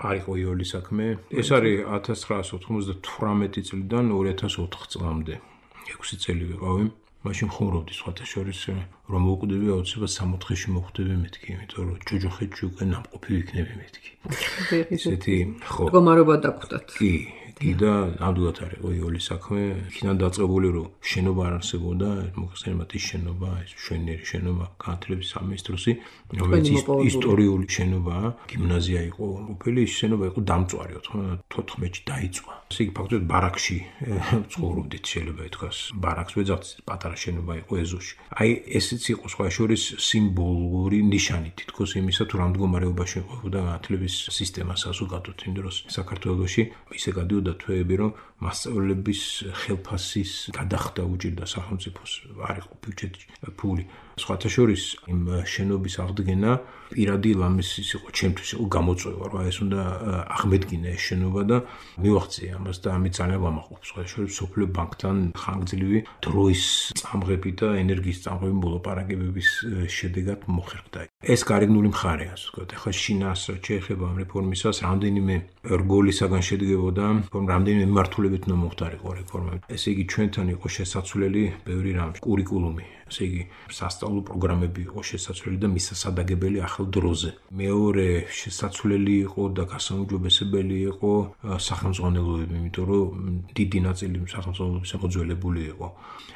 არ იყო იოლი საქმე. ეს არის 1998 წლიდან 2004 წლამდე. 6 წელი ვიყავი. მაშინ ხუმრობდი სხვათა შორის რომ მოვკვდები აუცილებლად 64-ში მოხვდები მეთქი, იმიტომ რომ ჯოჯოხეთში უკვე ნამყოფი ვიქნები მეთქი. ესეთი ხო. მდგომარეობა დაგვხვდათ. კი და ნამდვილად არ იყო იოლი საქმე. იქიდან დაწყებული რომ შენობა არ არსებობდა, მოხსენებათ ის შენობა, ეს მშვენიერი შენობა, განათლების სამინისტროსი, რომელიც ისტორიული შენობაა, გიმნაზია იყო. ყოფილი ის შენობა იყო დამწვარი 94-ში დაიწვა. ესე იგი ფაქტობრივად ბარაკში ცხოვრობდით, შეიძლება ითქვას. ბარაკს ვეძახთ, პატარა შენობა იყო ეზოში. აი ესეც იყო სხვა შორის სიმბოლური ნიშანი თითქოს იმისა, თუ რამ მდგომარეობაში ყოფდა განათლების სისტემა საზოგადოდ იმ დროს საქართველოში. ისე გადიოდა თვეები, რომ მასწავლებლების ხელფასის გადახდა უჭირდა სახელმწიფოს, არ იყო ბიუჯეტში ფული. სხვათა შორის იმ შენობის აღდგენა პირადი ლამისის იყო, ჩემთვის იყო გამოწვევა, რომ ეს უნდა აღმედგინა ეს შენობა და მივახციე ამას და ამით ძალიან ვამაყობს. სხვათა შორის სოფლიო ბანკთან ხანგრძლივი დროის წამღები და ენერგიის წამღები მოლაპარაკებების შედეგად მოხერხდა. ეს გარეგნული მხარეა, ასე ვთქვათ. ახლა შინას შეეხება ამ რეფორმისას, რამდენიმე რგოლისაგან შედგებოდა, რამდენიმე მიმართულებით უნდა მოხდარიყო რეფორმა. ესე იგი ჩვენთან იყო შესაძლებელი ბევრი რამ, კურიკულუმი, ესე იგი სასწავლო პროგრამები იყო შესაძლებელი და მისასადაგებელი ახალ დროზე. მეორე შესაძლებელი იყო და გასაუმჯობესებელი იყო სახელმძღვანელოები, იმიტომ რომ დიდი ნაწილი სახელმძღვანელოების მოძველებული იყო.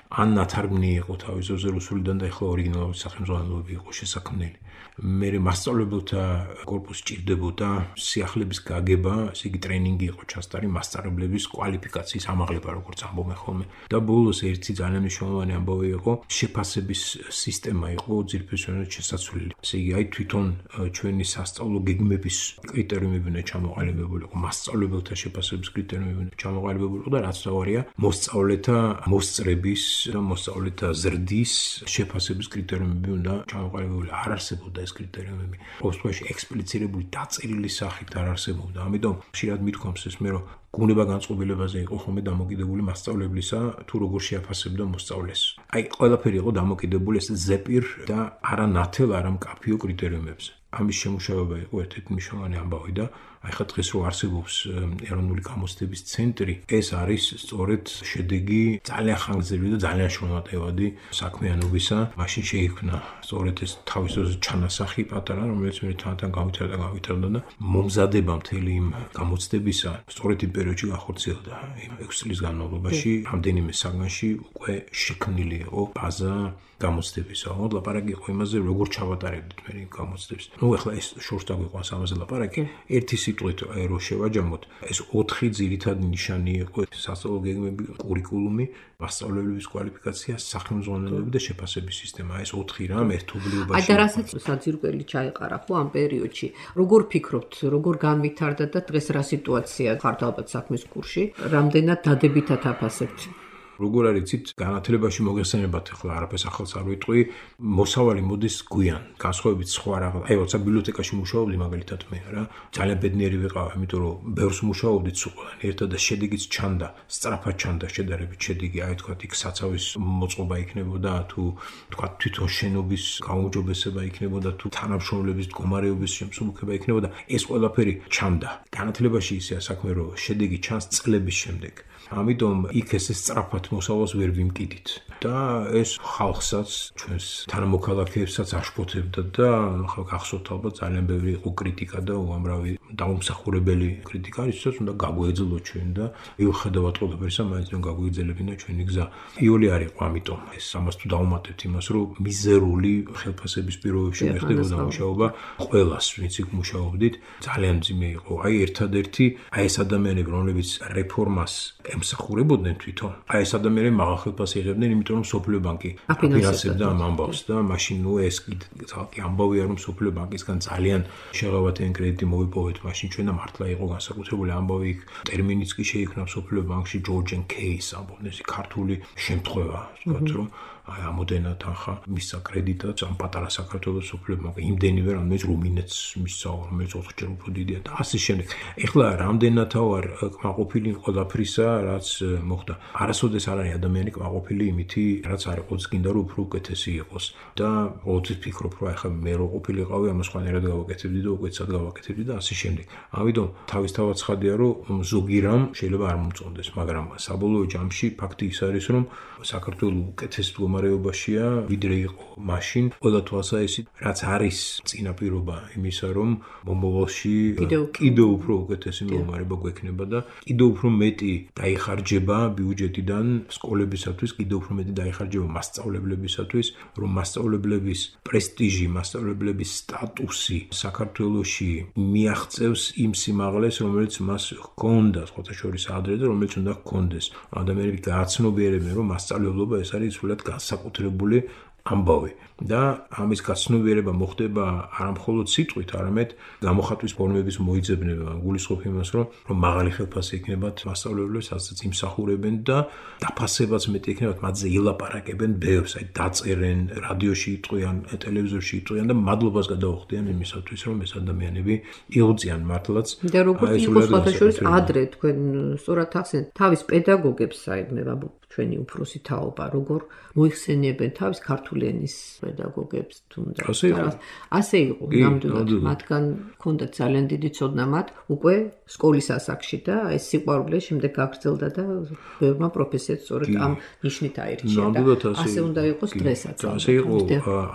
ან ნათარგმნი იყო თავის ძოზე რუსულიდან და ახლა ორიგინალური სახელმძღვანელოები იყო შესაქმნელი. მე მასწავლებელთა კორპუსი ჭირდებოდა სიახლეების გაგება, ესე იგი ტრენინგი იყო ჩასტარი მასწავლებლების კვალიფიკაციის ამაღლება, როგორც ამბობენ ხოლმე. და ბოლოს ერთი ძალიან მნიშვნელოვანი ამბავი იყო, შეფასების სისტემა იყო ძირფესვიანად შესაძლებელი. ესე იგი, აი თვითონ ჩვენი სასწავლო გეგმების კრიტერიუმები უნდა ჩამოყალიბებულიყო, მასწავლებელთა შეფასების კრიტერიუმები უნდა ჩამოყალიბებულიყო და რაც თავარია, მოსწავლეთა მოსწრების და მოსწავლეთა ზრდის შეფასების კრიტერიუმები უნდა ჩამოყალიბებულიყო. არ არსებობდა ეს კრიტერიუმები. ყოველთვის ექსპლიცირებული დაწერილი სახით არ არსებობდა. ამიტომ ხშირად მithქვამს ეს მე რომ გუნება განწყობილებაზე იყო ხოლმე დამოკიდებული მასწავლებლისა თუ როგორ შეაფასებდა მოსწავლეს. აი ყველაფერი იყო დამოკიდებული ეს ზეპირ და არა ნათელ, არა მკაფიო კრიტერიუმებზე. ამის შემუშავება იყო ერთ-ერთი მნიშვნელოვანი ამბავი და აი ხა დღეს რო არსებობს ეროვნული გამოცდების ცენტრი, ეს არის სწორედ შედეგი ძალიან ხანგრძლივი და ძალიან შრომატევადი საქმიანობისა. მაშინ შეიქმნა სწორედ ეს თავის დროზე ჩანასახი პატარა, რომელიც მე თან გავითარდა და მომზადება მთელი იმ გამოცდებისა სწორედ იმ პერიოდში განხორციელდა. 6 წლის განმავლობაში რამდენიმე საგანში უკვე შექმნილი იყო ბაზა გამოცდებისა. ლაპარაკი იყო იმაზე, როგორ ჩავატარებდით მე იმ გამოცდებს. ნუ ახლა ეს შორს დაგვიყვანს ამაზე ლაპარაკი. ერთი სიტყვით რო შევაჯამოთ, ეს 4 ძირითადი ნიშანი იყო: სასწავლო გეგმები, კურიკულუმი, მასწავლებლების კვალიფიკაცია, სახელმძღვანელოები და შეფასების სისტემა. ეს 4 რამ ერთობლიობაში. აი და რასაც საძირკველი ჩაიყარა ხო ამ პერიოდში. როგორ ფიქრობთ, როგორ განვითარდა და დღეს რა სიტუაცია ხართ ალბათ საქმის კურსში? რამდენად დადებითად აფასებთ? როგორ არიცით, განათლებაში მოგეხსენებათ ახლა არაფერს ახალს არ ვიტყვი, მოსავალი მოდის გვიან, განსხვავებით სხვა რაღაც. აი, როცა ბიბლიოთეკაში მუშაობდი მაგალითად მე რა, ძალიან ბედნიერი ვიყავ, იმიტომ რომ ბევრს მუშაობდით სულან ერთად და შედეგიც ჩანდა, სწრაფად ჩანდა შედარებით შედეგი, აი თქვა იქ საცავის მოწყობა იქნებოდა, თუ თქვა თვითონ შენობის გაუმჯობესება იქნებოდა, თუ თანამშრომლების მდგომარეობის შემსუბუქება იქნებოდა, ეს ყველაფერი ჩანდა. განათლებაში ისეა საქმე, რომ შედეგი ჩანს წლების შემდეგ. ამიტომ იქ ეს სწრაფად მოსავალს ვერ ვიმკიდით და ეს ხალხსაც ჩვენს თანამოქალაქეებსაც აშფოთებდა და ხალხ გახსოვთ ალბათ ძალიან ბევრი იყო კრიტიკა და უამრავი დაუმსახურებელი კრიტიკა ისაც უნდა გაგვეძლოთ ჩვენ და მიუხედავად ყველაფერისა მაინც რომ გაგვეძლებინა ჩვენი გზა. იოლი არ იყო ამიტომ ეს ამას თუ დავუმატებთ იმას რომ მიზერული ხელფასების პირობებში მეხდებოდა მუშაობა ყველას ვინც იქ მუშაობდით ძალიან მძიმე იყო. აი ერთადერთი აი ეს ადამიანები რომლებიც რეფორმას ემსახურებოდნენ თვითონ. აი ეს ადამიანები მაღალ ხელფასს იღებდნენ, იმიტომ რომ სოფლიო ბანკი აფინანსებდა ამ ამბავს და მაშინ ნუ ეს კი ამბავია რომ სოფლიო ბანკისგან ძალიან შეღავათიანი კრედიტი მოვიპოვეთ მაშინ ჩვენ და მართლა იყო განსაკუთრებული ამბავი იქ ტერმინიც კი შეიქმნა სოფლიო ბანკში George and Case ამბობდნენ ეს ქართული შემთხვევა ვთქვათ რომ აი ამოდენა თანხა მისცა კრედიტად ამ პატარა საქართველოს სოფლიო ბანკი იმდენივე რომელიც რუმინეთს მისცა რომელიც 4-ჯერ უფრო დიდია და ასე შემდეგ. ეხლა რამდენათა ვარ კმაყოფილი ყველაფრისა რაც მოხდა. არასოდეს არ არის ადამიანი კმაყოფილი იმითი რაც არ იყოს გინდა რომ უფრო უკეთესი იყოს და ყოველთვის ფიქრობ რომ ახლა მე რო ყოფილიყავი ამას ხანერად გავაკეთებდი და უკეთესად გავაკეთებდი და ასე შემდეგ. ამიტომ თავისთავად ცხადია რომ ზოგი რამ შეიძლება არ მომწონდეს, მაგრამ საბოლოო ჯამში ფაქტი ის არის რომ საქართველოს უკეთეს მდგომარეობაშია ვიდრე იყო მაშინ. ყველა თვალსაჩინო რაც არის წინაპირობა იმისა რომ მომავალში კიდევ უფრო უკეთესი მდგომარეობა გვექნება და კიდევ უფრო მეტი დაიხარჯება ბიუჯეტიდან სკოლებისათვის, კიდევ უფრო მეტი დაიხარჯება მასწავლებლებისათვის, რომ მასწავლებლების პრესტიჟი, მასწავლებლების სტატუსი საქართველოში მიაღწევს იმ სიმაღლეს, რომელიც მას ჰქონდა, სხვათა შორის ადრე და რომელიც უნდა ჰქონდეს. ადამიანები გააცნობიერებენ, რომ მასწავლებლობა ეს არის სულად განსაკუთრებული ამბავი და ამის გაცნობიერება მოხდება არა მხოლოდ სიტყვით, არამედ გამოხატვის ფორმების მოიძებნება. გულისხმობ იმას, რომ მაღალი ხელფასი იქნებათ მასწავლებლებს, ასაც იმსახურებენ და დაფასებაც მეტი იქნებათ, მათზე ილაპარაკებენ ბევრს, აი დაწერენ, რადიოში იტყვიან, ტელევიზორში იტყვიან და მადლობას გადაუხდიან იმისათვის, რომ ეს ადამიანები იღვწიან მართლაც. და როგორც იყო სხვათა შორის ადრე თქვენ სწორად ახსენეთ, თავის პედაგოგებს საერთოდ ჩვენი უფროსი თაობა როგორ მოიხსენიებენ თავის ქართული ენის პედაგოგებს თუნდაც. ასე იყო ნამდვილად მათგან ჰქონდათ ძალიან დიდი ცოდნა მათ უკვე სკოლის ასაკში და ეს სიყვარული შემდეგ გაგრძელდა და ბევრმა პროფესიად სწორედ ამ ნიშნით აირჩია და ასე უნდა იყოს დღესაც. ასე იყო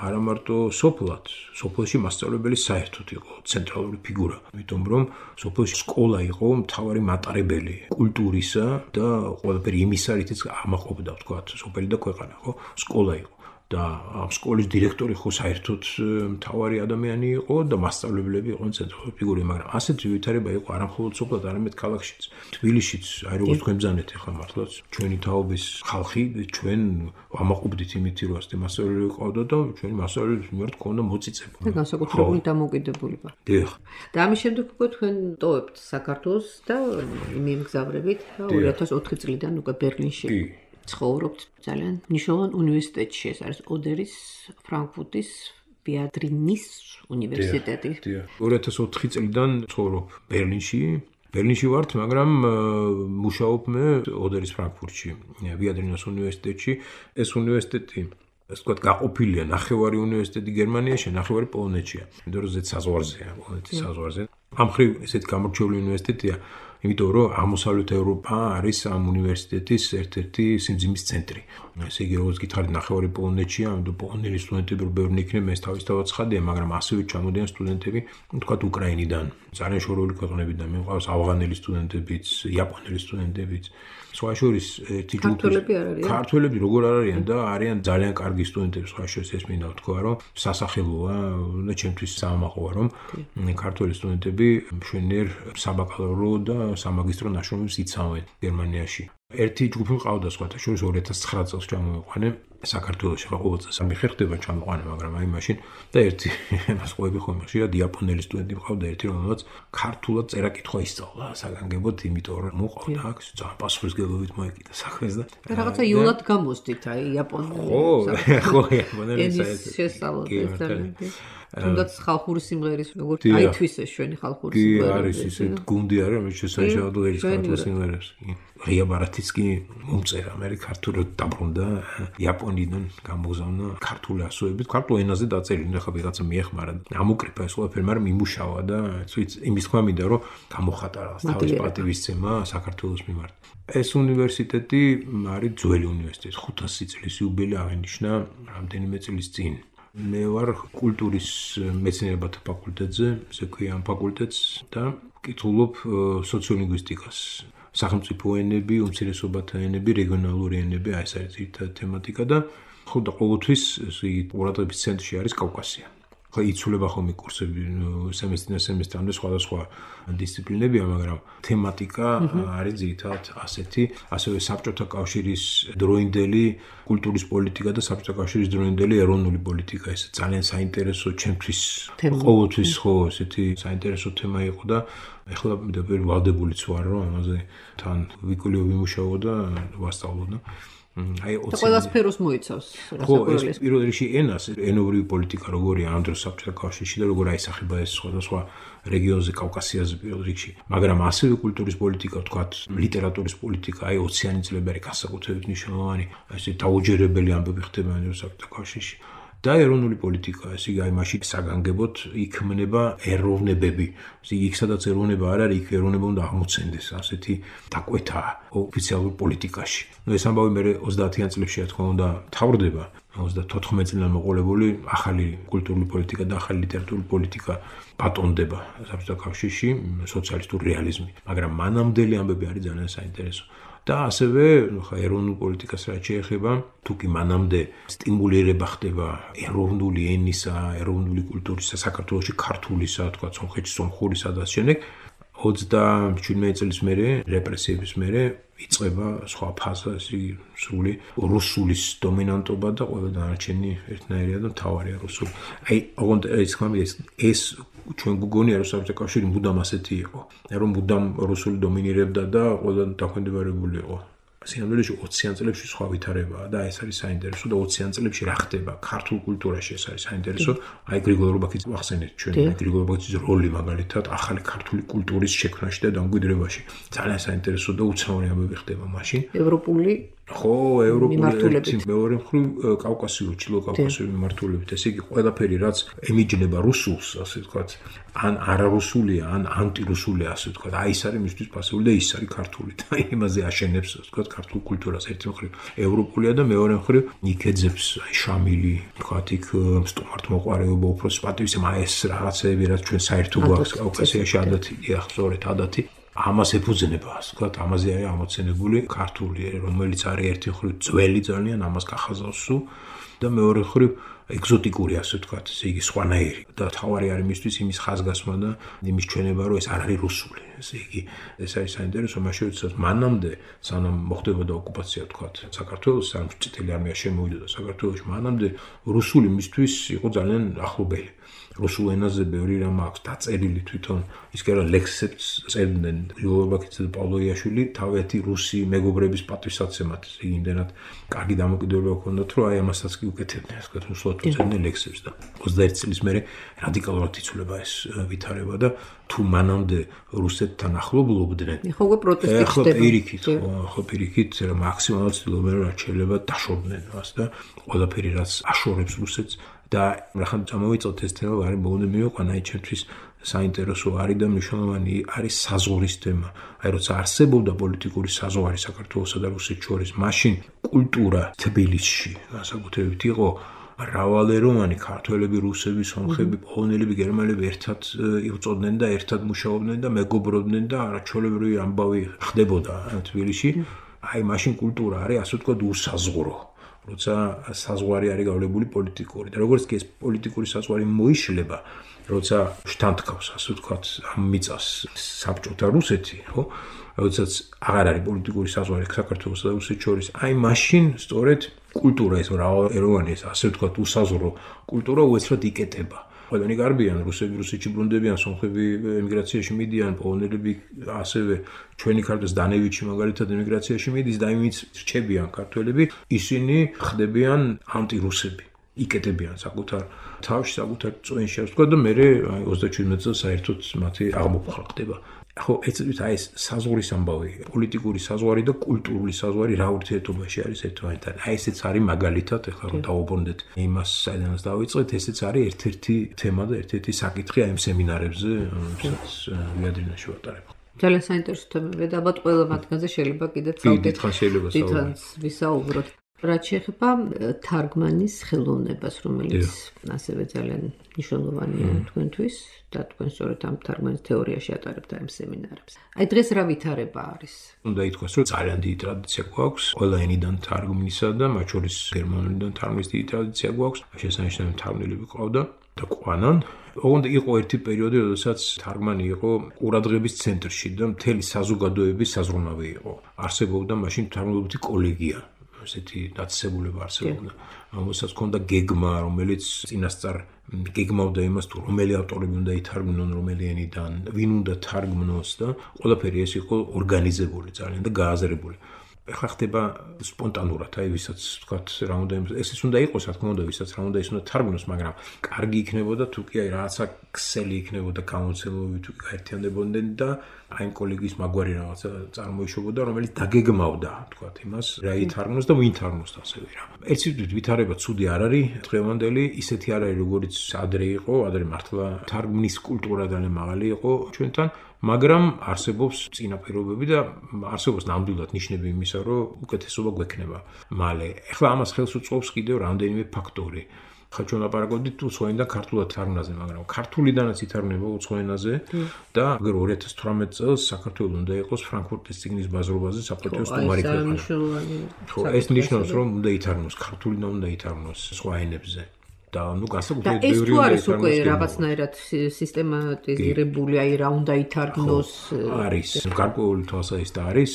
არა მარტო სოფლად, სოფლში მასწავლებელი საერთოდ იყო ცენტრალური ფიგურა, იმიტომ რომ სოფლში სკოლა იყო მთავარი მატარებელი კულტურისა და ყველაფერი იმის არითაც ამაყობდა ვთქვათ სოფელი და ქვეყანა ხო სკოლა იყო და ამ სკოლის დირექტორი ხო საერთოდ მთავარი ადამიანი იყო და მასწავლებლები იყვნენ ცენტრალური ფიგურები, მაგრამ ასეთი ვითარება იყო არა მხოლოდ სოფლად, არამედ ქალაქშიც, თბილისშიც, აი როგორც თქვენ ბრძანეთ ახლა მართლაც ჩვენი თაობის ხალხი, ჩვენ ამაყობდით იმით, რომ ასეთი მასწავლებლები ყავდა და ჩვენი მასწავლებლების მიმართ ქონდა მოწიწება. და განსაკუთრებული დამოკიდებულება. დიახ. და ამის შემდეგ უკვე თქვენ ტოვებთ საქართველოს და მიემგზავრებით და 2004 წლიდან უკვე ბერლინში. ცხოვრობთ ძალიან მნიშვნელოვან უნივერსიტეტში, ეს არის ოდერის, ფრანკფურტის, ბიადრინის უნივერსიტეტი. 2004 წლიდან ცხოვრობ ბერლინში ბერლინში ვართ, მაგრამ მუშაობ მე ოდერის ფრანკფურტში, ვიადრინოს უნივერსიტეტში. ეს უნივერსიტეტი ასე ვთქვათ, გაყოფილია ნახევარი უნივერსიტეტი გერმანიაში, ნახევარი პოლონეთშია. იმიტომ რომ ზეც საზღვარზეა, პოლონეთის საზღვარზე. ამ მხრივ ესეთი გამორჩეული უნივერსიტეტია, იმიტომ რომ აღმოსავლეთ ევროპა არის ამ უნივერსიტეტის ერთ-ერთი სიმძიმის ცენტრი. ესე იგი, როგორც გითხარით, ნახევარი პოლონეთშია, ამიტომ პოლონელი სტუდენტები ბევრი იქნება, ეს თავისთავად ცხადია, მაგრამ ასევე ჩამოდიან სტუდენტები, ვთქვათ, უკრაინიდან, ძალიან შორეული ქვეყნებიდან, მიყვავს ავღანელი სტუდენტებიც, იაპონელი სტუდენტებიც. სხვა შორის ერთი ჯგუფი ქართველები როგორ არ არიან და არიან ძალიან კარგი სტუდენტები, სხვა შორის ეს მინდა ვთქვა, რომ სასახელოა და ჩემთვის საამაყოა, რომ ქართველი სტუდენტები მშვენიერ საბაკალავრო და სამაგისტრო ნაშრომებს იცავენ გერმანიაში. ერთი ჯგუფი მყავდა სხვათა შორის 2009 წელს ჩამოვიყვანე საქართველოში, ხო ყოველ წელს ამი ხერხდება ჩამოვიყვანე, მაგრამ აი მაშინ და ერთი მას ყვები ხომ ხშირად იაპონელი სტუდენტი მყავდა ერთი, რომელსაც ქართულად წერა-კითხვა ისწავლა საგანგებოდ, იმიტომ რომ მოყავდა აქ ძალიან პასუხისმგებლობით მოეკიდა საქმეს და რაღაცა იულად გამოსდით აი იაპონელი. ხო, იაპონელი საერთოდ თუნდაც ხალხური სიმღერის როგორც აითვის ეს ჩვენი ხალხური სიმღერა. კი, არის ისეთ გუნდი არის, რომელიც შესაძლოა ერის ქართულ სიმღერებს. ღია ბარათიც კი მომწერა, მე ქართულად დაბრუნდა იაპონიდან გამოგზავნა ქართული ასოებით, ქართულ ენაზე დაწერილი, ხა ვიღაცა მიეხმარა. ამოკრიფა ეს ყველაფერი, მაგრამ იმუშავა და იმის თქმა მინდა, რომ გამოხატარა თავის პატივისცემა საქართველოს მიმართ. ეს უნივერსიტეტი არის ძველი უნივერსიტეტი, 500 წლის იუბილე აღინიშნა რამდენიმე წლის წინ. მე ვარ კულტურის მეცნიერებათა ფაკულტეტზე, ესე ქვია ამ ფაკულტეტს და ვკითხულობ სოციოლინგვისტიკას. სახელმწიფო ენები, უმცირესობათა ენები, რეგიონალური ენები, აი ეს არის ძირითადი თემატიკა და ხო და ყოველთვის ყურადღების ცენტრში არის კავკასია. ხო იცვლება ხოლმე კურსები სემესტრამდე სხვადასხვა დისციპლინებია, მაგრამ თემატიკა არის ძირითადად ასეთი, ასევე საბჭოთა კავშირის დროინდელი კულტურის პოლიტიკა და საბჭოთა კავშირის დროინდელი ეროვნული პოლიტიკა. ეს ძალიან საინტერესო ჩემთვის ყოველთვის ხო ესეთი საინტერესო თემა იყო და ეხლა მე ვალდებულიც ვარ, რომ ამაზე თან ვიმუშაო და ვასწავლო და აი ყველა სფეროს მოიცავს. ხო, ეს პირველ რიგში ენას, ენობრივი პოლიტიკა როგორია ამ დროს საბჭოთა კავშირში და როგორ აისახება ეს სხვადასხვა რეგიონზე, კავკასიაზე პირველ რიგში. მაგრამ ასევე კულტურის პოლიტიკა, ვთქვათ, ლიტერატურის პოლიტიკა, აი 20-იანი წლები არის განსაკუთრებით მნიშვნელოვანი, ესე დაუჯერებელი ამბები ხდება ამ დროს საბჭოთა კავშირში. და ეროვნული პოლიტიკა, ესე იგი, აი მაშინ საგანგებოდ იქმნება ეროვნებები. ესე იგი, იქ სადაც ეროვნება არ არის, იქ ეროვნება უნდა აღმოცენდეს, ასეთი დაკვეთა ოფიციალურ პოლიტიკაში. ნუ ეს ამბავი მე 30-იან წლებში რა თქმა უნდა მთავრდება, 34 წლიდან მოყოლებული ახალი კულტურული პოლიტიკა და ახალი ლიტერატურული პოლიტიკა ბატონდება საბჭოთა კავშირში, სოციალისტური რეალიზმი, მაგრამ მანამდელი ამბები არის ძალიან საინტერესო. და ასევე ხა ეროვნულ პოლიტიკას რაც შეეხება, თუ კი მანამდე სტიმულირება ხდება ეროვნული ენისა, ეროვნული კულტურისა, საქართველოში ქართულისა, თქვა სომხეთში სომხურისა და შემდეგ 27 წლის მერე რეპრესიების მერე იწყება სხვა ფაზა, ესე იგი სრული რუსულის დომინანტობა და ყველა დანარჩენი ერთნაირია და მთავარია რუსული. აი, ოღონდ ეს ჩვენ გგონია რომ საბჭოთა კავშირი მუდამ ასეთი იყო, რომ მუდამ რუსული დომინირებდა და ყველა დაქვემდებარებული იყო. სინამდვილეში 20-იან წლებში სხვა ვითარებაა და ეს არის საინტერესო და 20-იან წლებში რა ხდება ქართულ კულტურაში, ეს არის საინტერესო. აი გრიგოლ რობაქიძე ახსენეთ ჩვენ, გრიგოლ რობაქიძის როლი მაგალითად ახალი ქართული კულტურის შექმნაში და დამკვიდრებაში. ძალიან საინტერესო და უცნაური ამბები ხდება მაშინ. ევროპული ხო, ევროპული მეორე მხრივ კავკასიური, ჩილო-კავკასიური მიმართულებით. ესე იგი, ყველაფერი რაც ემიჯნება რუსულს, ასე ვთქვათ, ან არარუსულია, ან ანტირუსულია, ასე ვთქვათ, აი ეს არის მისთვის პასიული და ის არის ქართული. და იმაზე აშენებს, ასე ვთქვათ, ქართულ კულტურას ერთი მხრივ ევროპულია და მეორე მხრივ იქეძებს შამილი, ვთქვათ, იქ სტუმართმოყვარეობა, უფროსის პატივისცემა, ეს რაღაცეები, რაც ჩვენ საერთო გვაქვს კავკასიაში ადათია, სწორედ ადათი. ამას ეფუძნება, ასე ვთქვათ, ამაზე არის ამოცენებული ქართული, რომელიც არის ერთი მხრივ ძველი ძალიან, ამას გახაზავსო და მეორე მხრივ ეგზოტიკური, ასე ვთქვათ, ესე იგი სხვანაირი და თავარი არის მისთვის იმის ხაზგასმა და იმის ჩვენება, რომ ეს არ არის რუსული. ესე იგი, ეს არის საინტერესო, მაშინ როდესაც მანამდე, სანამ მოხდებოდა ოკუპაცია, ვთქვათ, საქართველოს, სანამ წითელი არმია შემოვიდა საქართველოში, მანამდე რუსული მისთვის იყო ძალიან ახლობელი. რუსულ ენაზე ბევრი რამ აქვს დაწერილი თვითონ, ის კი არა ლექსებს წერდნენ გრიგოლ რობაქიძე და პავლო იაშვილი თავეთი რუსი მეგობრების პატივსაცემად, იმდენად კარგი დამოკიდებულება ჰქონდათ, რომ აი ამასაც კი უკეთებდნენ, ასე ვთქვათ, უსუალოდ უწევდნენ ლექსებს და 21 წლის მერე რადიკალურად იცვლება ეს ვითარება და თუ მანამდე რუსეთთან ახლობლობდნენ. ხო, უკვე პროტესტი ხდება. ხო, პირიქით, მაქსიმალურად ცდილობენ რომ რაც შეიძლება დაშორდნენ მას და ყველაფერი რაც აშორებს რუსეთს და რახან წამოვიწყოთ ეს თემა, არის ბოლომდე მივიყვანა, აი ჩემთვის საინტერესო არის და მნიშვნელოვანი არის საზღვრის თემა. აი როცა არსებობდა პოლიტიკური საზღვარი საქართველოსა და რუსეთს შორის, მაშინ კულტურა თბილისში განსაკუთრებით იყო მრავალეროვანი, ქართველები, რუსები, სომხები, პოლონელები, გერმანელები ერთად იწოდნენ და ერთად მუშაობდნენ და მეგობრობდნენ და არაჩვეულებრივი ამბავი ხდებოდა თბილისში. აი მაშინ კულტურა არის ასე ვთქვათ უსაზღვრო. როცა საზღვარი არის გავლებული პოლიტიკური და როგორც კი ეს პოლიტიკური საზღვარი მოიშლება, როცა შთანთქავს ასე ვთქვათ ამ მიწას საბჭოთა რუსეთი, ხო? როდესაც აღარ არის პოლიტიკური საზღვარი საქართველოსა და რუსეთს შორის, აი მაშინ სწორედ კულტურა ეს მრავალეროვანი ეს ასე ვთქვათ უსაზღვრო კულტურა უეცრად იკეტება. ყველანი გარბიან, რუსები რუსეთში ბრუნდებიან, სომხები ემიგრაციაში მიდიან, პოლონელები ასევე ჩვენი ქართველს დანევიჩი მაგალითად ემიგრაციაში მიდის და იმით რჩებიან ქართველები, ისინი ხდებიან ანტირუსები. იკეტებიან საკუთარ თავში, საკუთარ წვენში, ასე ვთქვათ და მე 37 წელს საერთოდ მათი აღმოფხვრა ხდება. ხო, ეცებით აი ეს საზღვრის ამბავი, პოლიტიკური საზღვარი და კულტურული საზღვარი რა ურთიერთობაში არის ერთმანეთთან. აი ესეც არის მაგალითად, ეხლა რომ დავუბრუნდეთ იმას, საიდანაც დავიწყეთ, ესეც არის ერთ-ერთი თემა და ერთ-ერთი საკითხი აი ამ სემინარებზე, რომელსაც ვიადრინაში ვატარებ. ძალიან საინტერესო თემებია და ალბათ ყველა მათგანზე შეიძლება კიდეც ვისაუბროთ. რაც შეეხება თარგმანის ხელოვნებას, რომელიც ასევე ძალიან მნიშვნელოვანია თქვენთვის და თქვენ სწორედ ამ თარგმანის თეორიაში ატარებთ ამ სემინარებს. აი დღეს რა ვითარება არის? უნდა ითქვას, რომ ძალიან დიდი ტრადიცია გვაქვს ყველა ენიდან თარგმნისა და მათ შორის გერმანულიდან თარგმნის დიდი ტრადიცია გვაქვს. შესანიშნავი თარგმნელები ყავდა და ყვანან. ოღონდ იყო ერთი პერიოდი, როდესაც თარგმანი იყო ყურადღების ცენტრში და მთელი საზოგადოების საზრუნავი იყო. არსებობდა მაშინ თარგმნელობითი კოლეგია. ესეთი დაწესებულება არსებობდა, რომელსაც ჰქონდა გეგმა, რომელიც წინასწარ გეგმავდა იმას, თუ რომელი ავტორები უნდა ითარგმნონ, რომელი ენიდან, ვინ უნდა თარგმნოს და ყველაფერი ეს იყო ორგანიზებული ძალიან და გააზრებული. ეხლა ხდება სპონტანურად, აი ვისაც ვთქვათ, რა უნდა ესეც უნდა იყოს, რა თქმა უნდა, ვისაც რა უნდა ის უნდა თარგმნოს, მაგრამ კარგი იქნებოდა თუ კი აი რაღაცა ქსელი იქნებოდა გამოცემები, თუ კი გაერთიანდებოდნენ და აი კოლეგის მაგვარი რაღაცა წარმოიშობოდა, რომელიც დაგეგმავდა, ვთქვათ, იმას, რა ითარგმნოს და ვინ თარგმნოს ასევე რა. ერთი ვითარება ცუდი არ არის, დღევანდელი ისეთი არ არის, როგორც ადრე იყო, ადრე მართლა თარგმნის კულტურა ძალიან მაღალი იყო ჩვენთან. მაგრამ არსებობს წინაპირობები და არსებობს ნამდვილად ნიშნები იმისა, რომ უკეთესობა გვექნება მალე. ეხლა ამას ხელს უწყობს კიდევ რამდენიმე ფაქტორი. ხა ჩვენ ლაპარაკობდით უცხოენიდან ქართულად თარგმნაზე, მაგრამ ქართულიდანაც ითარგმნება უცხოენაზე და აგერ 2018 წელს საქართველოს უნდა იყოს ფრანკფურტის წიგნის ბაზრობაზე საპატიო სტუმარი ქვეყანა. ხო, ეს ნიშნავს, რომ უნდა ითარგმნოს ქართულიდან, უნდა ითარგმნოს სხვა ენებზე. და ნუ განსაკუთრებით ბევრი ეს თუ არის უკვე რაღაცნაირად სისტემატიზირებული, აი რა უნდა ითარგმნოს არის. გარკვეული თვალსაჩინო არის.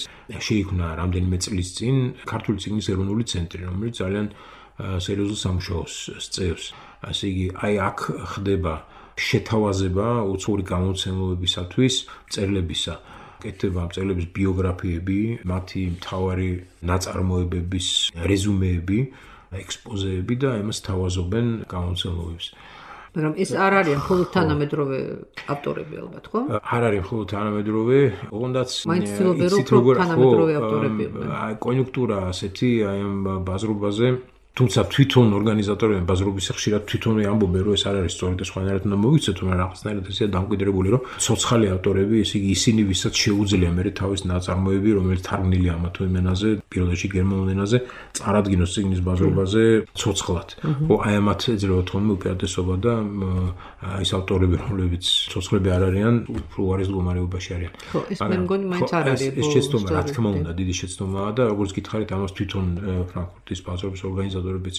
შეიქმნა რამდენიმე წლის წინ ქართული წიგნის ეროვნული ცენტრი, რომელიც ძალიან სერიოზულ სამუშაოს სწევს. ასე იგი, აი აქ ხდება შეთავაზება უცხოური გამოცემებისათვის მწერლებისა. კეთდება მწერლების ბიოგრაფიები, მათი მთავარი ნაწარმოებების რეზუმეები, ექსპოზეები და იმას თავაზობენ გამოცემებებს. მაგრამ ეს არ არის მხოლოდ თანამედროვე ავტორები ალბათ, ხო? არ არის მხოლოდ თანამედროვე, ოღონდაც იცით როგორ თანამედროვე ავტორები. აი კონიუნქტურა ასეთი აი ამ ბაზრობაზე თუმცა თვითონ ორგანიზატორები ბაზრობის ხშირად თვითონვე ამბობენ, რომ ეს არ არის სწორი და სხვანაირად უნდა მოვიცეთ, მაგრამ რაღაცნაირად ესეა დამკვიდრებული, რომ ცოცხალი ავტორები, ესე იგი ისინი, ვისაც შეუძლია მე თავის ნაწარმოები, რომელიც თარგმნილია ამა თუ იმ ენაზე, პირველ რიგში გერმანულ ენაზე, წარადგინოს წიგნის ბაზრობაზე ცოცხლად. ხო, აი ამათ ეძლევა თქონდა უპირატესობა და ის ავტორები, რომლებიც ცოცხლები არ არიან, უარის მდგომარეობაში არიან. ხო, ეს მე მგონი მაინც არ არის. ეს შეცდომა, რა თქმა უნდა, დიდი შეცდომაა და როგორც გითხარით, ამას თვითონ ფრანკფურტის ბაზრობის ორგანიზატორებიც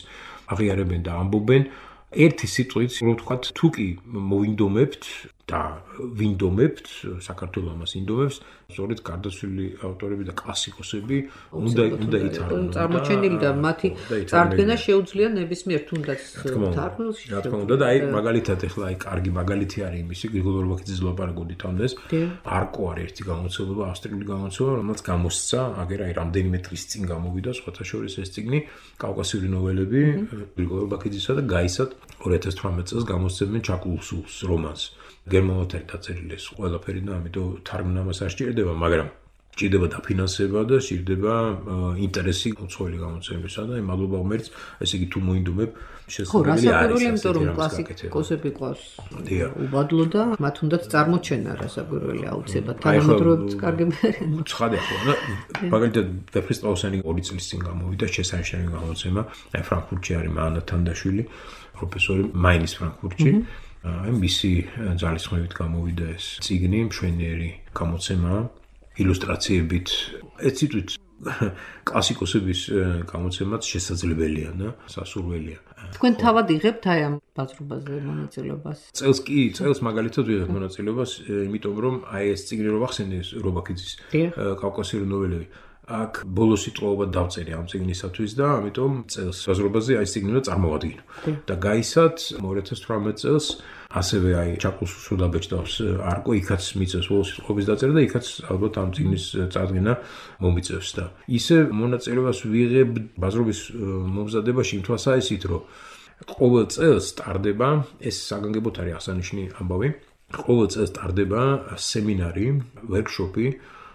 აღიარებენ და ამბობენ. ერთი სიტყვით, რომ ვთქვათ, თუ კი მოვინდომებთ და ვინდომებთ, საქართველოს ამას ინდომებს, სწორედ გარდაცვლილი ავტორები და კლასიკოსები უნდა ითარგმნონ. წარმოჩენილი და მათი წარდგენა შეუძლია ნებისმიერ თუნდაც თარგმნილში. რა თქმა უნდა და აი მაგალითად ახლა აი კარგი მაგალითი არის იმისი, გრიგოლ ორბაქიძის ლაპარაკობდით ამდეს. არკო არის ერთი გამოცდილება, ავსტრიული გამოცდილება, რომელიც გამოსცა, აგერ აი რამდენიმე დღის წინ გამოვიდა, სხვათა შორის ეს წიგნი კავკასიური ნოველები გრიგოლ ორბაქიძისა და გაისად 2018 წელს გამოსცემენ ჩაკულსულს რომანს. გერმანულად არის დაწერილი ეს ყველაფერი და ამიტომ თარგმნა მას არ სჭირდება, მაგრამ სჭირდება დაფინანსება და სჭირდება ინტერესი უცხოელი გამოცემისა და მადლობა ღმერთს, ესე იგი თუ მოინდომებ შესაძლებელი არის. იმიტომ რომ კლასიკოსები ყავს უბადლო და მათ უნდათ წარმოჩენა რასაკვირველი აუცილებლად თანამედროვეებიც კარგი მერენ. ცხადია ხო, მაგალითად ვეფხისტყაოსანი 2 წლის წინ გამოვიდა შესანიშნავი გამოცემა, აი ფრანკფურტში არის მანა თანდაშვილი, პროფესორი მაინის ფრანკფურტში. აი მისი ძალისხმევით გამოვიდა ეს წიგნი, მშვენიერი გამოცემა, ილუსტრაციებით, ეციტვით კლასიკოსების გამოცემაც შესაძლებელია და სასურველია. თქვენ თავად იღებთ აი ამ ბაზრობაზე მონაწილეობას? წელს მაგალითად ვიღებ მონაწილეობას, იმიტომ რომ აი ეს წიგნი რო ვახსენე რობაქიძის კავკასიური ნოველები. აქ ბოლოს სიტყვაობა დავწერე ამ წიგნისათვის და ამიტომ წელს ბაზრობაზე აი ეს წიგნი უნდა წარმოვადგინო. და გაისად 2018 წელს ასევე აი ჩაკულსულს რო დაბეჭდავს არკო, იქაც მიწევს ბოლოს სიტყვაობის დაწერა და იქაც ალბათ ამ წიგნის წარდგენა მომიწევს და ისე მონაწილეობას ვიღებ ბაზრობის მომზადებაში იმ თვალსაზრისით, რომ ყოველ წელს ტარდება ეს საგანგებოდ არის აღსანიშნავი ამბავი. ყოველ წელს ტარდება სემინარი, ვერკშოპი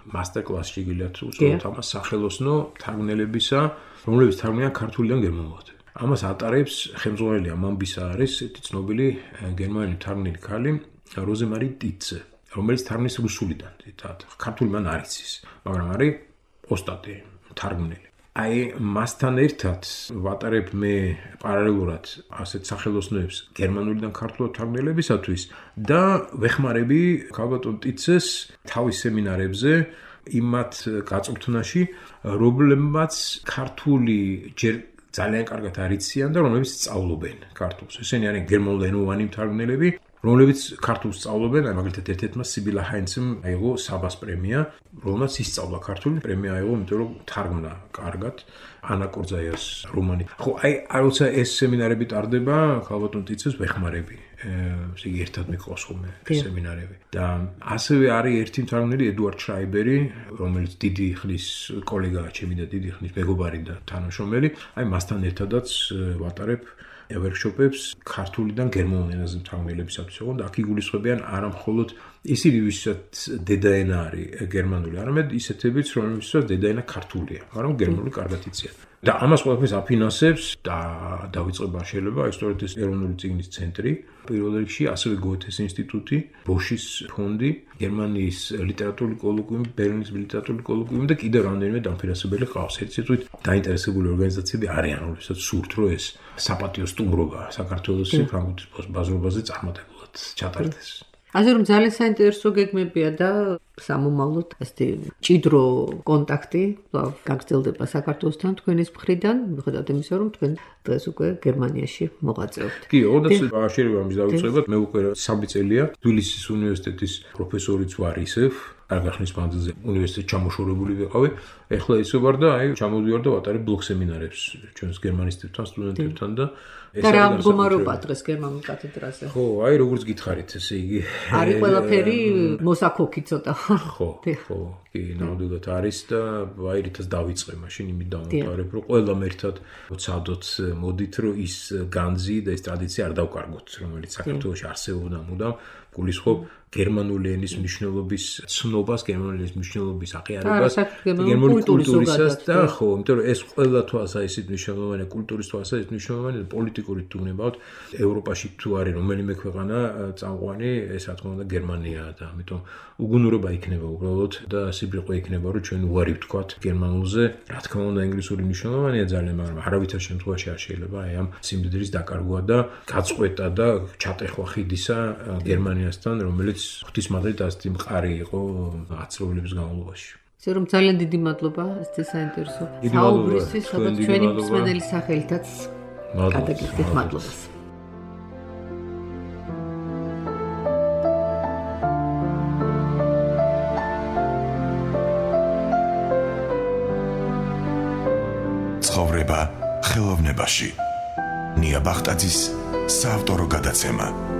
master-class შეგიძლიათ უწოდოთ ამას სახელოსნო თარგმნელებისა, რომლებიც თარგმნიან ქართულიდან გერმანულად. ამას ატარებს ხელმძღვანელი ამბისა არის ერთი ცნობილი გერმანელი თარგმნელი ქალი როზემარი ტიცე, რომელიც თარგმნის რუსულიდან, ქართული მან არ იცის, მაგრამ არის ოსტატი, თარგმნელი. აი მასთან ერთად ვატარებ მე პარალელურად ასეთ სახელოსნოებს გერმანულიდან ქართულად თარგმნელებისათვის და ვეხმარები ქალბატონ ტიცეს თავის სემინარებზე იმათ გაწვრთნაში, რომლებმაც ქართული ჯერ ძალიან კარგად არიციან და რომლებიც სწავლობენ ქართულს. ესენი არიან გერმანულენოვანი მთარგმნელები, რომლებიც ქართულს სწავლობენ, აი მაგალითად ერთ-ერთმა სიბილა ჰაინცემ აიღო საბას პრემია, რომელმაც ისწავლა ქართული, პრემია აიღო, იმიტომ რომ თარგმნა კარგად ანა კორძაიას რომანი. ხო, აი როცა ეს სემინარები ტარდება, ქალბატონ ტიცეს ვეხმარები. ესე იგი ერთად მიყავს ხოლმე სემინარები. და ასევე არის ერთი მთარგმნელი ედუარდ შრაიბერი, რომელიც დიდი ხნის კოლეგაა ჩემი და დიდი ხნის მეგობარი და თანამშრომელი. აი მასთან ერთადაც ვატარებ ვერკშოპებს ქართულიდან გერმანულ ენაზე მთარგმნელებისათვის, და აქ იგულისხმებიან არა მხოლოდ ისინი, ვისაც დედაენა არის გერმანული, არამედ ისეთებიც, რომლებსაც დედაენა ქართულია, მაგრამ გერმანული კარგად იციან. და ამას ყველაფერს აფინანსებს და დავიწყება შეიძლება სწორედ ეს ეროვნული წიგნის ცენტრი, პირველ რიგში ასევე გოეთეს ინსტიტუტი, ბოშის ფონდი, გერმანიის ლიტერატურული კოლოკვიუმი, ბერლინის ლიტერატურული კოლოკვიუმი და კიდევ რამდენიმე დამფინანსებელი ყავს. ერთ-ერთი დაინტერესებული ორგანიზაციები არიან, რომლებსაც სურთ, რომ ეს საპატიო სტუმრობა საქართველოს ფრანკფურტის ბაზრობაზე წარმატებულად ჩატარდეს. ასე რომ ძალიან საინტერესო გეგმებია და სამომავლოდ ესეთი ჭიდრო კონტაქტი გაგრძელდება საქართველოსთან თქვენის მხრიდან, მიუხედავად იმისა, რომ თქვენ დღეს უკვე გერმანიაში მოღვაწეობთ. კი, ოდესმე აღშერება ამის დავიწყებად, მე უკვე 3 წელია თბილისის უნივერსიტეტის პროფესორიც ვარ ისევ, არგახნის მანძილზე უნივერსიტეტში ჩამოშორებული ვიყავი. ეხლა ისე ვარ და აი ჩამოვიდივარ და ვატარებ ბლოგ სემინარებს ჩვენს გერმანისტებთან, სტუდენტებთან და და რა მდგომარეობა დღეს გერმანულ კათედრაზე? ხო, აი როგორც გითხარით, ესე იგი არის ყველაფერი მოსაქოქი ცოტა. ხო, კი, ნამდვილად არის და აი რითაც დავიწყე მაშინ იმით დავამთავრებ, რომ ყველამ ერთად ვცადოთ, მოდით, რომ ის განძი და ეს ტრადიცია არ დავკარგოთ, რომელიც საქართველოში არსებობდა მუდამ, გულისხმობ გერმანული ენის მნიშვნელობის ცნობას, გერმანული ენის მნიშვნელობის აღიარებას, გერმანული კულტურისას და ხო, იმიტომ რომ ეს ყველა თვალსაზრისით მნიშვნელოვანია, კულტურის თვალსაზრისით მნიშვნელოვანია, პოლიტიკური თუ ნებავთ, ევროპაში თუ არის რომელიმე ქვეყანა წამყვანი, ეს რა თქმა უნდა გერმანიაა და ამიტომ უგუნურობა იქნება უბრალოდ და სიბრიყვა იქნება, რომ ჩვენ უარი ვთქვათ გერმანულზე. რა თქმა უნდა ინგლისური მნიშვნელოვანია ძალიან, მაგრამ არავითარ შემთხვევაში არ შეიძლება აი ამ სიმდიდრის დაკარგვა და გაწყვეტა და ჩატეხვა ხიდისა გერმანიასთან, რომელიც ღვთისმადლით ასეთი მყარი იყო აცრუებლების განმავლობაში. ისე რომ ძალიან დიდი მადლობა, ესეთი საინტერესო საუბრისთვის, სადაც ჩვენი მსმენელის სახელითაც გადაგიხდით მადლობას. იხმარება ხელოვნებაში. ნია ბახტაძის საავტორო გადაცემა.